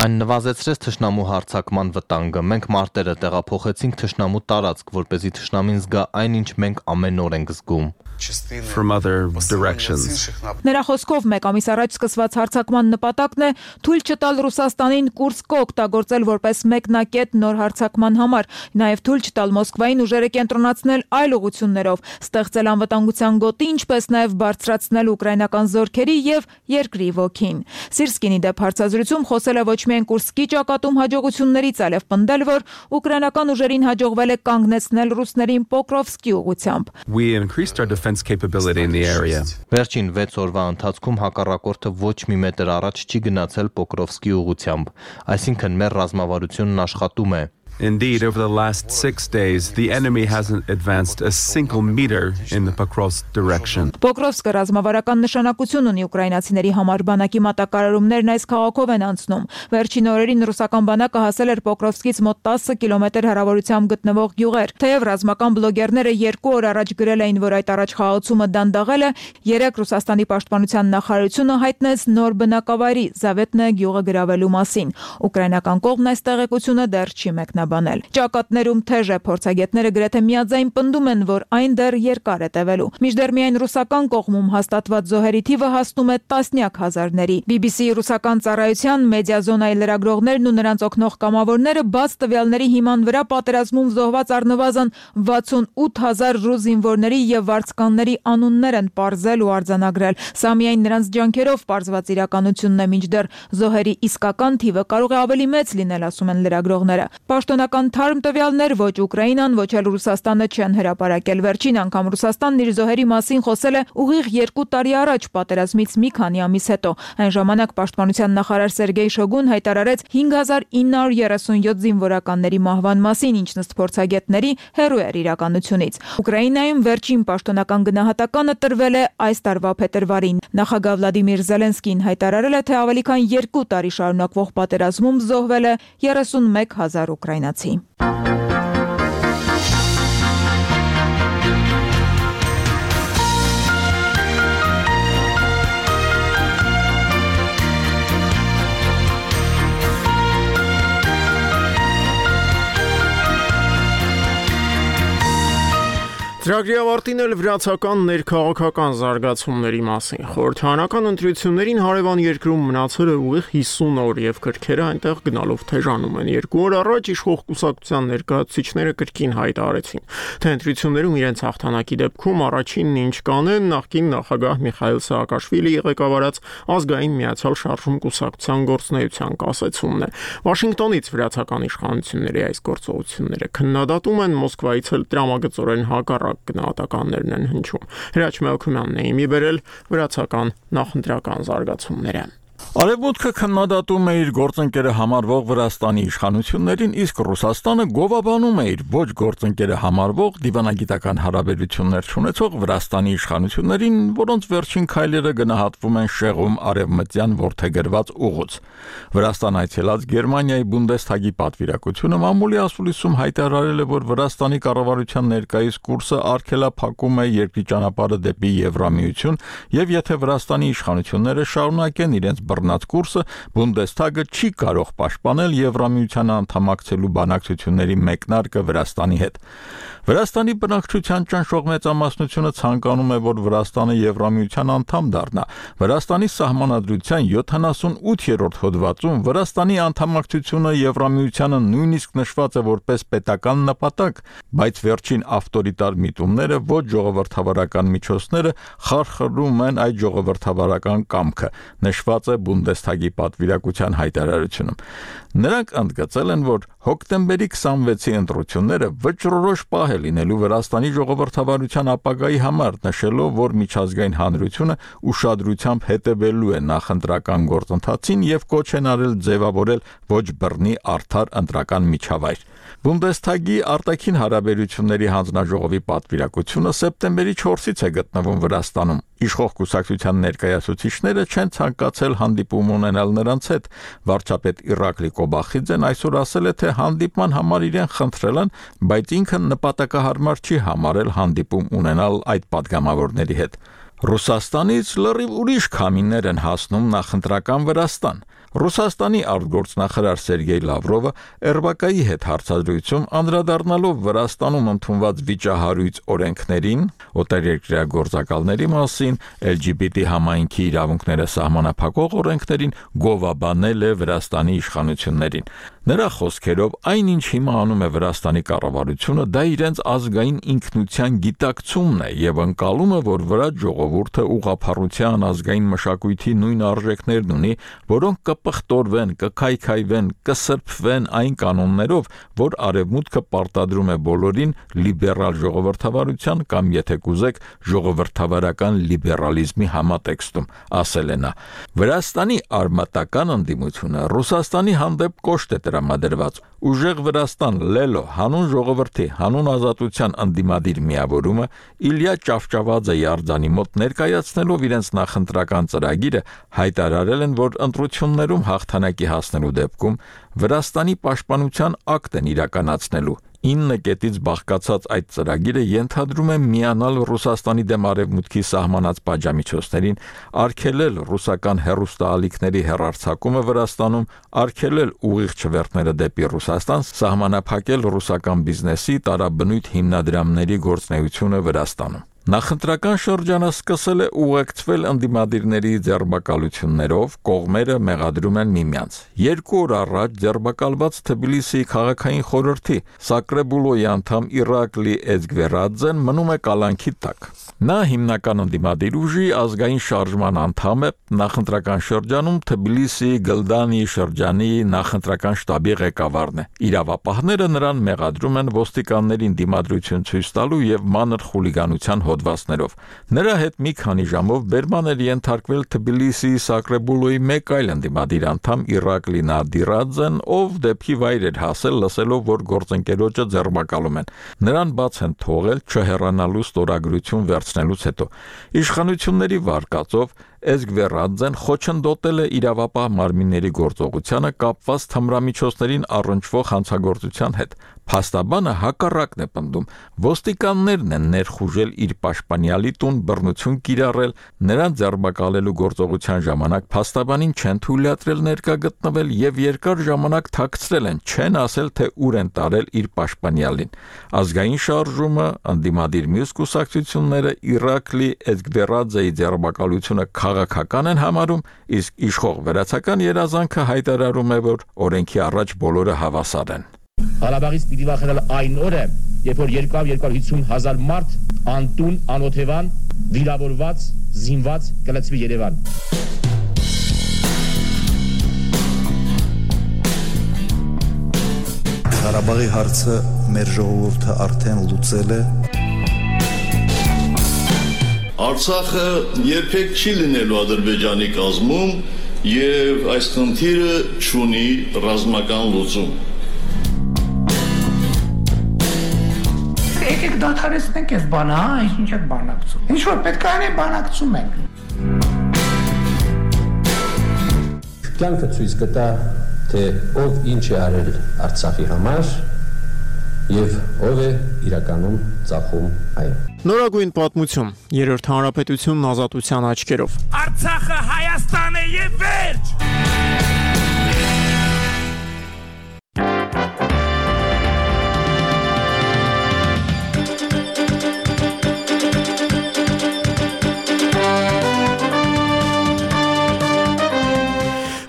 Այն նվազեցրեց թշնամու հարձակման վտանգը։ Մենք մարտերը տեղափոխեցինք թշնամու տարածք, որպեսզի թշնամին զգա այն, ինչ մենք ամեն օր ենք զգում։ from other directions. Նրա խոսքով մեկ ամիս առաջ սկսված հարձակման նպատակն է թույլ չտալ Ռուսաստանին Կուրսկը օգտագործել որպես մեկնակետ նոր հարձակման համար, նաև թույլ չտալ Մոսկվային ուժերը կենտրոնացնել այլ ուղղություններով, ստեղծել անվտանգության գոտի, ինչպես նաև բարձրացնել ուկրաինական զորքերի եւ երկրի ոգին։ Սիրսկինի դեպ հարցազրույցում խոսել է ոչ միայն Կուրսկի ճակատում հաջողություններից, այլև պնդել, որ ուկրաինական ուժերին հաջողվել է կանգնեցնել ռուսներին Պոկրովսկի ուղղությամբ։ We increased our defense capability in the area. Վերջին վեց օրվա ընթացքում հակառակորդը ոչ մի մետր առաջ չի գնացել Պոկրովսկի ուղղությամբ, այսինքն մեր ռազմավարությունն աշխատում է։ Indeed, over the last six days, the enemy hasn't advanced a single meter in the Pokrovsk direction. Պոկրովսկը ռազմավարական նշանակություն ունի ուկրաինացիների համար, բանակի մատակարարումներն այս քաղաքով են անցնում։ Վերջին օրերին ռուսական բանակը հասել էր Պոկրովսկից մոտ տասը կիլոմետր հեռավորությամբ գտնվող գյուղեր։ Թեև ռազմական բլոգերները երկու օր առաջ գրել էին, որ այդ առաջխաղացումը դանդաղել է, երեք Ռուսաստանի պաշտպանության նախարարությունը հայտնեց նոր բնակավայրի Զավետնե գյուղը գրավելու մասին։ Ուկրաինական կողմն այս տեղեկությունը դեռ չի մեկնաբանել։ Ճակատներում թեժ է, փորձագետները գրեթե միաձայն պնդում են, որ այն դեռ երկար է տևելու։ Մինչդեռ միայն ռուսական կողմում հաստատված զոհերի թիվը հասնում է տասնյակ հազարների։ B B C ռուսական ծառայության մեդիազոնայի լրագրողներն ու նրանց օգնող կամավորները բաց տվյալների հիման վրա պատերազմում զոհված առնվազն վաթսունութ հազար ռուս զինվորների եւ վարձկանների անուններ են պարզել ու արձանագրել։ Սա միայն նրանց ջանքերով պարզված իրականությունն է, մինչդեռ զոհերի իսկական թիվը կարող է ավելի մեծ լինել, ասում են լրագրողները։ Պաշտոնական թարմ տվյալներ ոչ Ուկրաինան, ոչ էլ Ռուսաստանը չեն հրապարակել։ Վերջին անգամ Ռուսաստանն իր զոհերի մասին խոսել է ուղիղ երկու տարի առաջ պատերազմից մի քանի ամիս հետո։ Այն ժամանակ պաշտպանության նախարար Սերգեյ Շոգուն հայտարարեց հինգ հազար ինը հարյուր երեսունյոթ զինվորականների մահվան մասին, ինչն ըստ փորձագետների հեռու էր իրականությունից։ Ուկրաինայում վերջին պաշտոնական գնահատականը տրվել է այս տարվա փետրվարին։ Նախագահ Վլադիմիր Զելենսկին հայտարարել է, թե ավելի քան երկու տարի շարունակվող պատերազմում զոհվել է երեսունմեկ հազար ուկրաինացի։ Ծրագրի ավարտին էլ վրացական ներքաղաքական զարգացումների մասին։ Խորհրդարանական ընտրություններին հարևան երկրում մնացել է ուղիղ հիսուն օր եւ քրքերը այնտեղ գնալով թեժանում են։ Երկու օր առաջ իշխող կուսակցության ներկայացուցիչները կրկին հայտարարեցին, թե ընտրություններում իրենց հաղթանակի դեպքում առաջինն ինչ կանեն նախկին նախագահ Միխայիլ Սաակաշվիլիի ղեկավարած ազգային միացյալ շարժում կուսակցության գործունեության կասեցումն է։ Վաշինգտոնից վրացական իշխանությունների այս գործողությունները քննադատում են, Մոսկվայից էլ տրամագծորեն հակառակ գնահատականներն են հնչում։ Հրաչ Մելքումյանն է իմի բերել վրացական նախընտրական զարգացումները։ Արևմուտքը քննադատում է իր գործընկերը համարվող Վրաստանի իշխանություններին, իսկ Ռուսաստանը գովաբանում է իր ոչ գործընկերը համարվող դիվանագիտական հարաբերություններ ունեցող Վրաստանի իշխանություններին, որոնց վերջին քայլերը գնահատվում են շեղում արևմտյան որդեգրված ուղուց։ Վրաստան այցելած Գերմանիայի Բունդեսթագի պատվիրակությունը մամուլի ասուլիսում հայտարարել է, որ Վրաստանի կառավարության ներկայիս կուրսը արգելափակում է երկրի ճանապարհը դեպի Եվրամիություն, եւ եթե Վրաստանի իշխանությունները շարունակեն իրենց բռնած կուրսը, Բունդեսթագը չի կարող պաշտպանել Եվրամիության անդամակցելու բանակցությունների մեկնարկը Վրաստանի հետ։ Վրաստանի բնակչության ճնշող մեծամասնությունը ցանկանում է, որ Վրաստանը Եվրամիության անդամ դառնա։ Վրաստանի սահմանադրության յոթանասունութերորդ հոդվածում Վրաստանի անդամակցությունը Եվրամիությանը նույնիսկ նշված է որպես պետական նպատակ, բայց վերջին ավտորիտար միտումները ոչ ժողովրդավարական միջոցները խարխրում են այդ ժողովրդավարական կամքը, նշված է Բունդեսթագի պատվիրակության հայտարարությունում։ Նրանք ընդգծել են, որ հոկտեմբերի քսանվեցի ընտրությունները վճռորոշ պահ է լինելու Վրաստանի ժողովրդավարության ապագայի համար, նշելով, որ միջազգային հանրությունը ուշադրությամբ հետևելու է նախընտրական գործընթացին եւ կոչ են արել ձևավորել ոչ բռնի արդար ընտրական միջավայր։ Բունդեսթագի արտաքին հարաբերությունների հանձնաժողովի պատվիրակությունը սեպտեմբերի չորսից է գտնվում Վրաստանում։ Իշխող կուսակցության ներկայացուցիչները չեն ցանկացել հանդիպում ունենալ նրանց հետ։ Վարչապետ Իրակլի Կոբախիձեն այսօր ասել է, թե հանդիպման համար իրեն խնդրել են, բայց ինքը նպատակահարմար չի համարել հանդիպում ունենալ այդ падգամավորների հետ։ Ռուսաստանից լրիվ ուրիշ քամիներ են հասնում նախընտրական Վրաստան։ Ռուսաստանի արտգործնախարար Սերգեյ Լավրովը Էրբակայի հետ հարցազրույցում անդրադառնալով Վրաստանում ընդունված վիճահարույց օրենքներին, օտարերկրյա գործակալների մասին, L G B T համայնքի իրավունքները սահմանափակող օրենքներին գովաբանել է Վրաստանի իշխանություններին։ Նրա խոսքերով այնինչ հիմա անում է Վրաստանի կառավարությունը, դա իրենց ազգային ինքնության գիտակցումն է եւ ընկալում է, որ վրաց ժողովուրդը ուղղափառության ազգային մշակույթի նույն արժեքներն ունի, որոնք կպղտորվեն, կքայքայվեն, կսրբվեն այն կանոններով, որ արևմուտքը պարտադրում է բոլորին լիբերալ ժողովրդավարության կամ, եթե կուզեք, ժողովրդավարական լիբերալիզմի համատեքստում, ասել է նա։ Վրաստանի արմատական ընդդիմությունը Ռուսաստանի հանդեպ կոշտ է տրամադրված։ Ուժեղ Վրաստան լելո հանուն ժողովրդի, հանուն ազատության ընդդիմադիր միավորումը Իլյա Ճավճավաձեի արձանի մոտ ներկայացնելով իրենց նախընտրական ծրագիրը հայտարարել են, որ ընտրություններում հաղթանակի հասնելու դեպքում Վրաստանի պաշտպանության ակտ են իրականացնելու։ ինը կետից բաղկացած այդ ծրագիրը ենթադրում է միանալ Ռուսաստանի դեմ արևմուտքի սահմանած պատժամիջոցներին, արգելել ռուսական հեռուստաալիքների հեռարձակումը Վրաստանում, արգելել ուղիղ չվերթները դեպի Ռուսաստան, սահմանափակել ռուսական բիզնեսի տարաբնույթ հիմնադրամների գործունեությունը Վրաստանում։ Նախընտրական շրջանը սկսել է ուղեկցվել ընդդիմադիրների ձեռբակալություններով, կողմերը մեղադրում են միմյանց։ Երկու օր առաջ ձեռբակալված Թբիլիսիի քաղաքային խորհրդի Սակրեբուլոյի անդամ Իրակլի Էզգվերադզեն մնում է կալանքի տակ։ Նա հիմնական ընդդիմադիր ուժի ազգային շարժման անդամ է, նախընտրական շրջանում Թբիլիսիի Գլդանի շրջանի նախընտրական շտաբի ղեկավարն է։ Իրավապահները նրան մեղադրում են ոստիկաններին դիմադրություն ցույց տալու եւ մանր խուլիգանության հոդվածներով։ Նրա հետ մի քանի ժամով բերման էր ենթարկվել Թբիլիսիի Սակրեբուլոյի մեկ այլ ընդդիմադիր անդամ Իրակլի Նադիրաձեն, ով դեպքի վայր էր հասել լսելով, որ գործընկերոջը ձեռբակալում են։ Նրան բաց են թողել չհեռանալու ստորագրություն վերցնելուց հետո։ Իշխանությունների վարկածով Էզգվերադզեն խոչընդոտել է իրավապահ մարմինների գործողությանը կապված թմրամիջոցներին առնչվող հանցագործության հետ։ Փաստաբանը հակառակն է պնդում։ Ոստիկաններն են ներխուժել իր պաշտպանյալի տուն, բռնություն կիրառել, նրան ձերբակալելու գործողության ժամանակ փաստաբանին չեն թույլատրել ներկա գտնվել եւ երկար ժամանակ թաքցրել են, չեն ասել, թե ուր են տարել իր պաշտպանյալին։ Ազգային շարժումը, անդիմադիր մյուս կուսակցությունները Իրաքլի Էդգբերաձեի ձերբակալությունը քաղաքական են համարում, իսկ իշխող վերացական երազանքը հայտարարում է, որ օրենքի առաջ բոլորը հավասար են։ Ղարաբաղից պիտի վախենալ այն օրը, երբ որ երկու հարյուր հիսուն հազար մարդ անտուն, անօթևան, վիրավորված, զինված կլցվի Երևան։ Ղարաբաղի հարցը մեր ժողովուրդը արդեն լուծել է։ Արցախը երբեք չի լինելու Ադրբեջանի կազմում եւ այս խնդիրը չունի ռազմական լուծում։ Եկեք դադարեցնենք այս բանը, հա, ինչ եք բանակցում։ Ինչ որ պետք է անենք, բանակցում ենք։ Կյանքը ցույց կտա, թե ով ինչ է արել Արցախի համար եւ ով է իրականում ծախում այն։ Նորագույն պատմություն, երրորդ հանրապետությունն ազատության աչքերով։ Արցախը Հայաստան է եւ վերջ։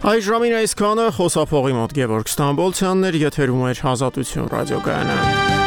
Այս ժամին այսքանը խոսափողի մոտ Գևորգ Ստամբոլցյանն էր, եթերում էր Ազատություն ռադիոկայանը։